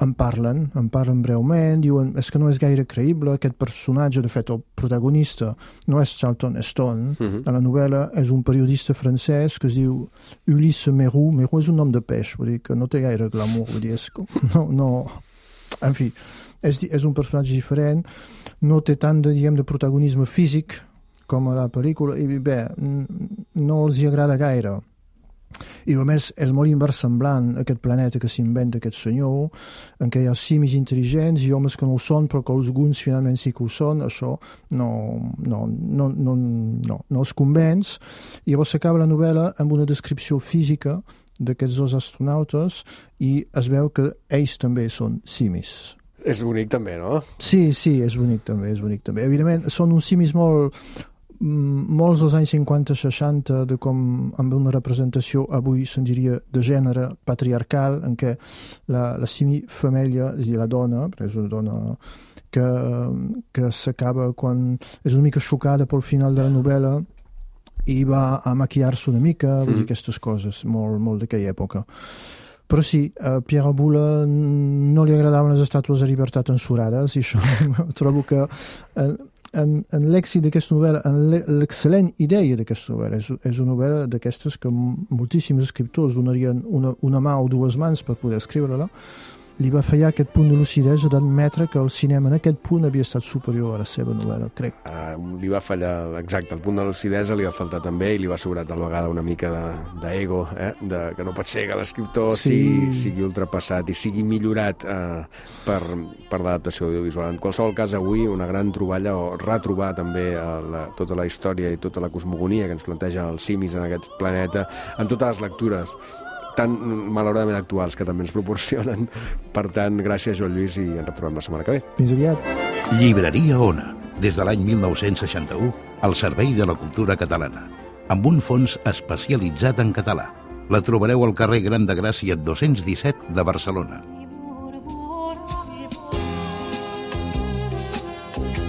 en parlen, en parlen breument, diuen, és que no és gaire creïble, aquest personatge, de fet, el protagonista no és Charlton Heston, uh-huh. a la novel·la és un periodista francès que es diu Ulysse Mérou, Mérou és un nom de peix, vull dir que no té gaire glamour, vull dir, és com, no, no, en fi, és, és un personatge diferent, no té tant de, diguem, de protagonisme físic com a la pel·lícula, i bé, no els hi agrada gaire. I a més és molt inversemblant aquest planeta que s'inventa aquest senyor, en què hi ha simis intel·ligents i homes que no ho són però que alguns finalment sí que ho són. Això no, no, no, no, no, no els convenç. I llavors s'acaba la novel·la amb una descripció física d'aquests dos astronautes i es veu que ells també són simis. És bonic també, no? Sí, sí, és bonic també, és bonic també. Evidentment són uns simis molt molts dels anys cinquanta seixanta de com amb una representació avui se'n diria de gènere patriarcal en què la, la simi femella, és a dir, la dona, és una dona que, que s'acaba quan és una mica xocada pel final de la novel·la i va a maquillar-se una mica, mm. vull dir, aquestes coses, molt, molt d'aquella època. Però sí, a Pierre Boulle no li agradaven les estàtues de llibertat ensurades i això trobo que eh, en, en l'èxit d'aquesta novel·la, en l'excel·lent idea d'aquesta novel·la, és, és una novel·la d'aquestes que moltíssims escriptors donarien una, una mà o dues mans per poder escriure-la, li va fallar aquest punt de lucidesa d'admetre que el cinema en aquest punt havia estat superior a la seva novel·la, crec. Uh, li va fallar, exacte, el punt de lucidesa li va faltar també i li va sobrar tal vegada una mica d'ego, de, eh? de, que no pot ser que l'escriptor sí. sigui, sigui ultrapassat i sigui millorat uh, per, per l'adaptació audiovisual. En qualsevol cas, avui una gran troballa o retrobar també uh, la, tota la història i tota la cosmogonia que ens planteja els simis en aquest planeta, en totes les lectures tan malauradament actuals que també ens proporcionen. Per tant, gràcies, Joan Lluís, i ens retrobem la setmana que ve. Fins aviat. Llibreria Ona, des de l'any mil nou-cents seixanta-u, al servei de la cultura catalana, amb un fons especialitzat en català. La trobareu al carrer Gran de Gràcia dos-cents disset de Barcelona.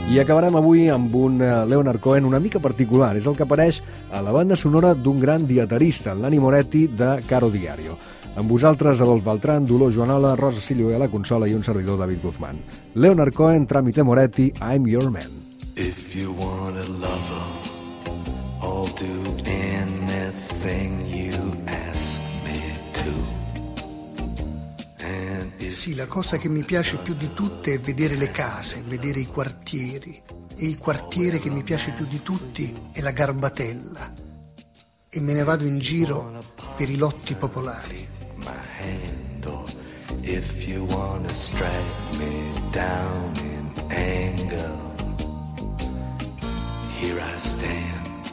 I acabarem avui amb un Leonard Cohen una mica particular. És el que apareix a la banda sonora d'un gran dietarista, l'Anni Moretti, de Caro Diario. Amb vosaltres, Adolf Beltrán, Dolors Joanola, Rosa Silio a la consola i un servidor, David Guzmán. Leonard Cohen, Tramite Moretti, I'm Your Man. If you want a lover, I'll do anything you ask me to. Sì, la cosa che mi piace più di tutte è vedere le case, vedere i quartieri. E il quartiere che mi piace più di tutti è la Garbatella. E me ne vado in giro per i lotti popolari. If you wanna strike me down in anger, here I stand,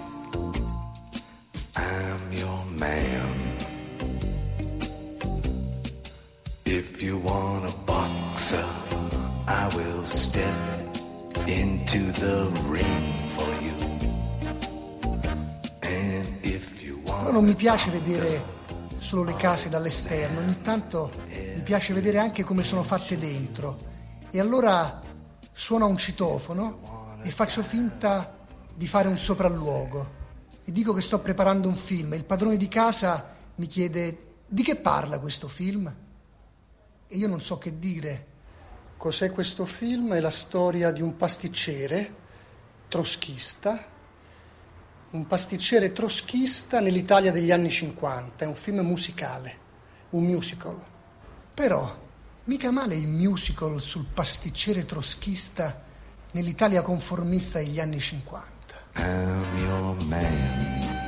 I'm your man. If you want a boxer, I will step into the ring for you. And if you want. Però non mi piace vedere solo le case dall'esterno, ogni tanto mi piace vedere anche come sono fatte dentro. E allora suono un citofono e faccio finta di fare un sopralluogo. E dico che sto preparando un film e il padrone di casa mi chiede: di che parla questo film? E io non so che dire. Cos'è questo film? È la storia di un pasticcere troschista, un pasticcere troschista nell'Italia degli anni cinquanta. È un film musicale, un musical. Però mica male il musical sul pasticcere troschista nell'Italia conformista degli anni cinquanta. I'm your man.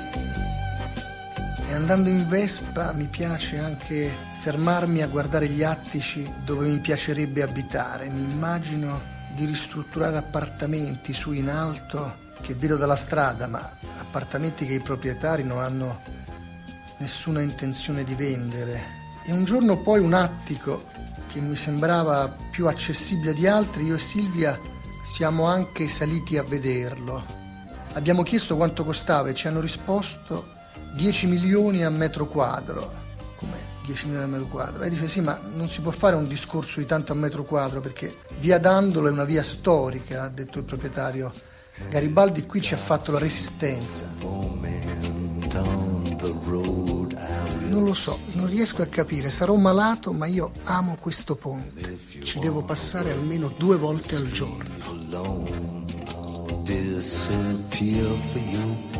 E andando in Vespa mi piace anche fermarmi a guardare gli attici dove mi piacerebbe abitare. Mi immagino di ristrutturare appartamenti su in alto che vedo dalla strada, ma appartamenti che i proprietari non hanno nessuna intenzione di vendere. E un giorno poi un attico che mi sembrava più accessibile di altri, io e Silvia siamo anche saliti a vederlo. Abbiamo chiesto quanto costava e ci hanno risposto dieci milioni a metro quadro. Come dieci milioni a metro quadro? E dice: sì, ma non si può fare un discorso di tanto a metro quadro perché via Dandolo è una via storica, ha detto il proprietario. Garibaldi qui ci ha fatto la Resistenza. Non lo so, non riesco a capire, sarò malato, ma io amo questo ponte. Ci devo passare almeno due volte al giorno. Disappear for you.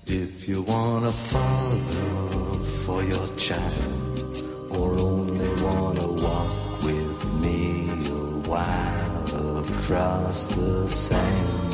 If you want a father for your child, or only want to walk with me a while across the sand.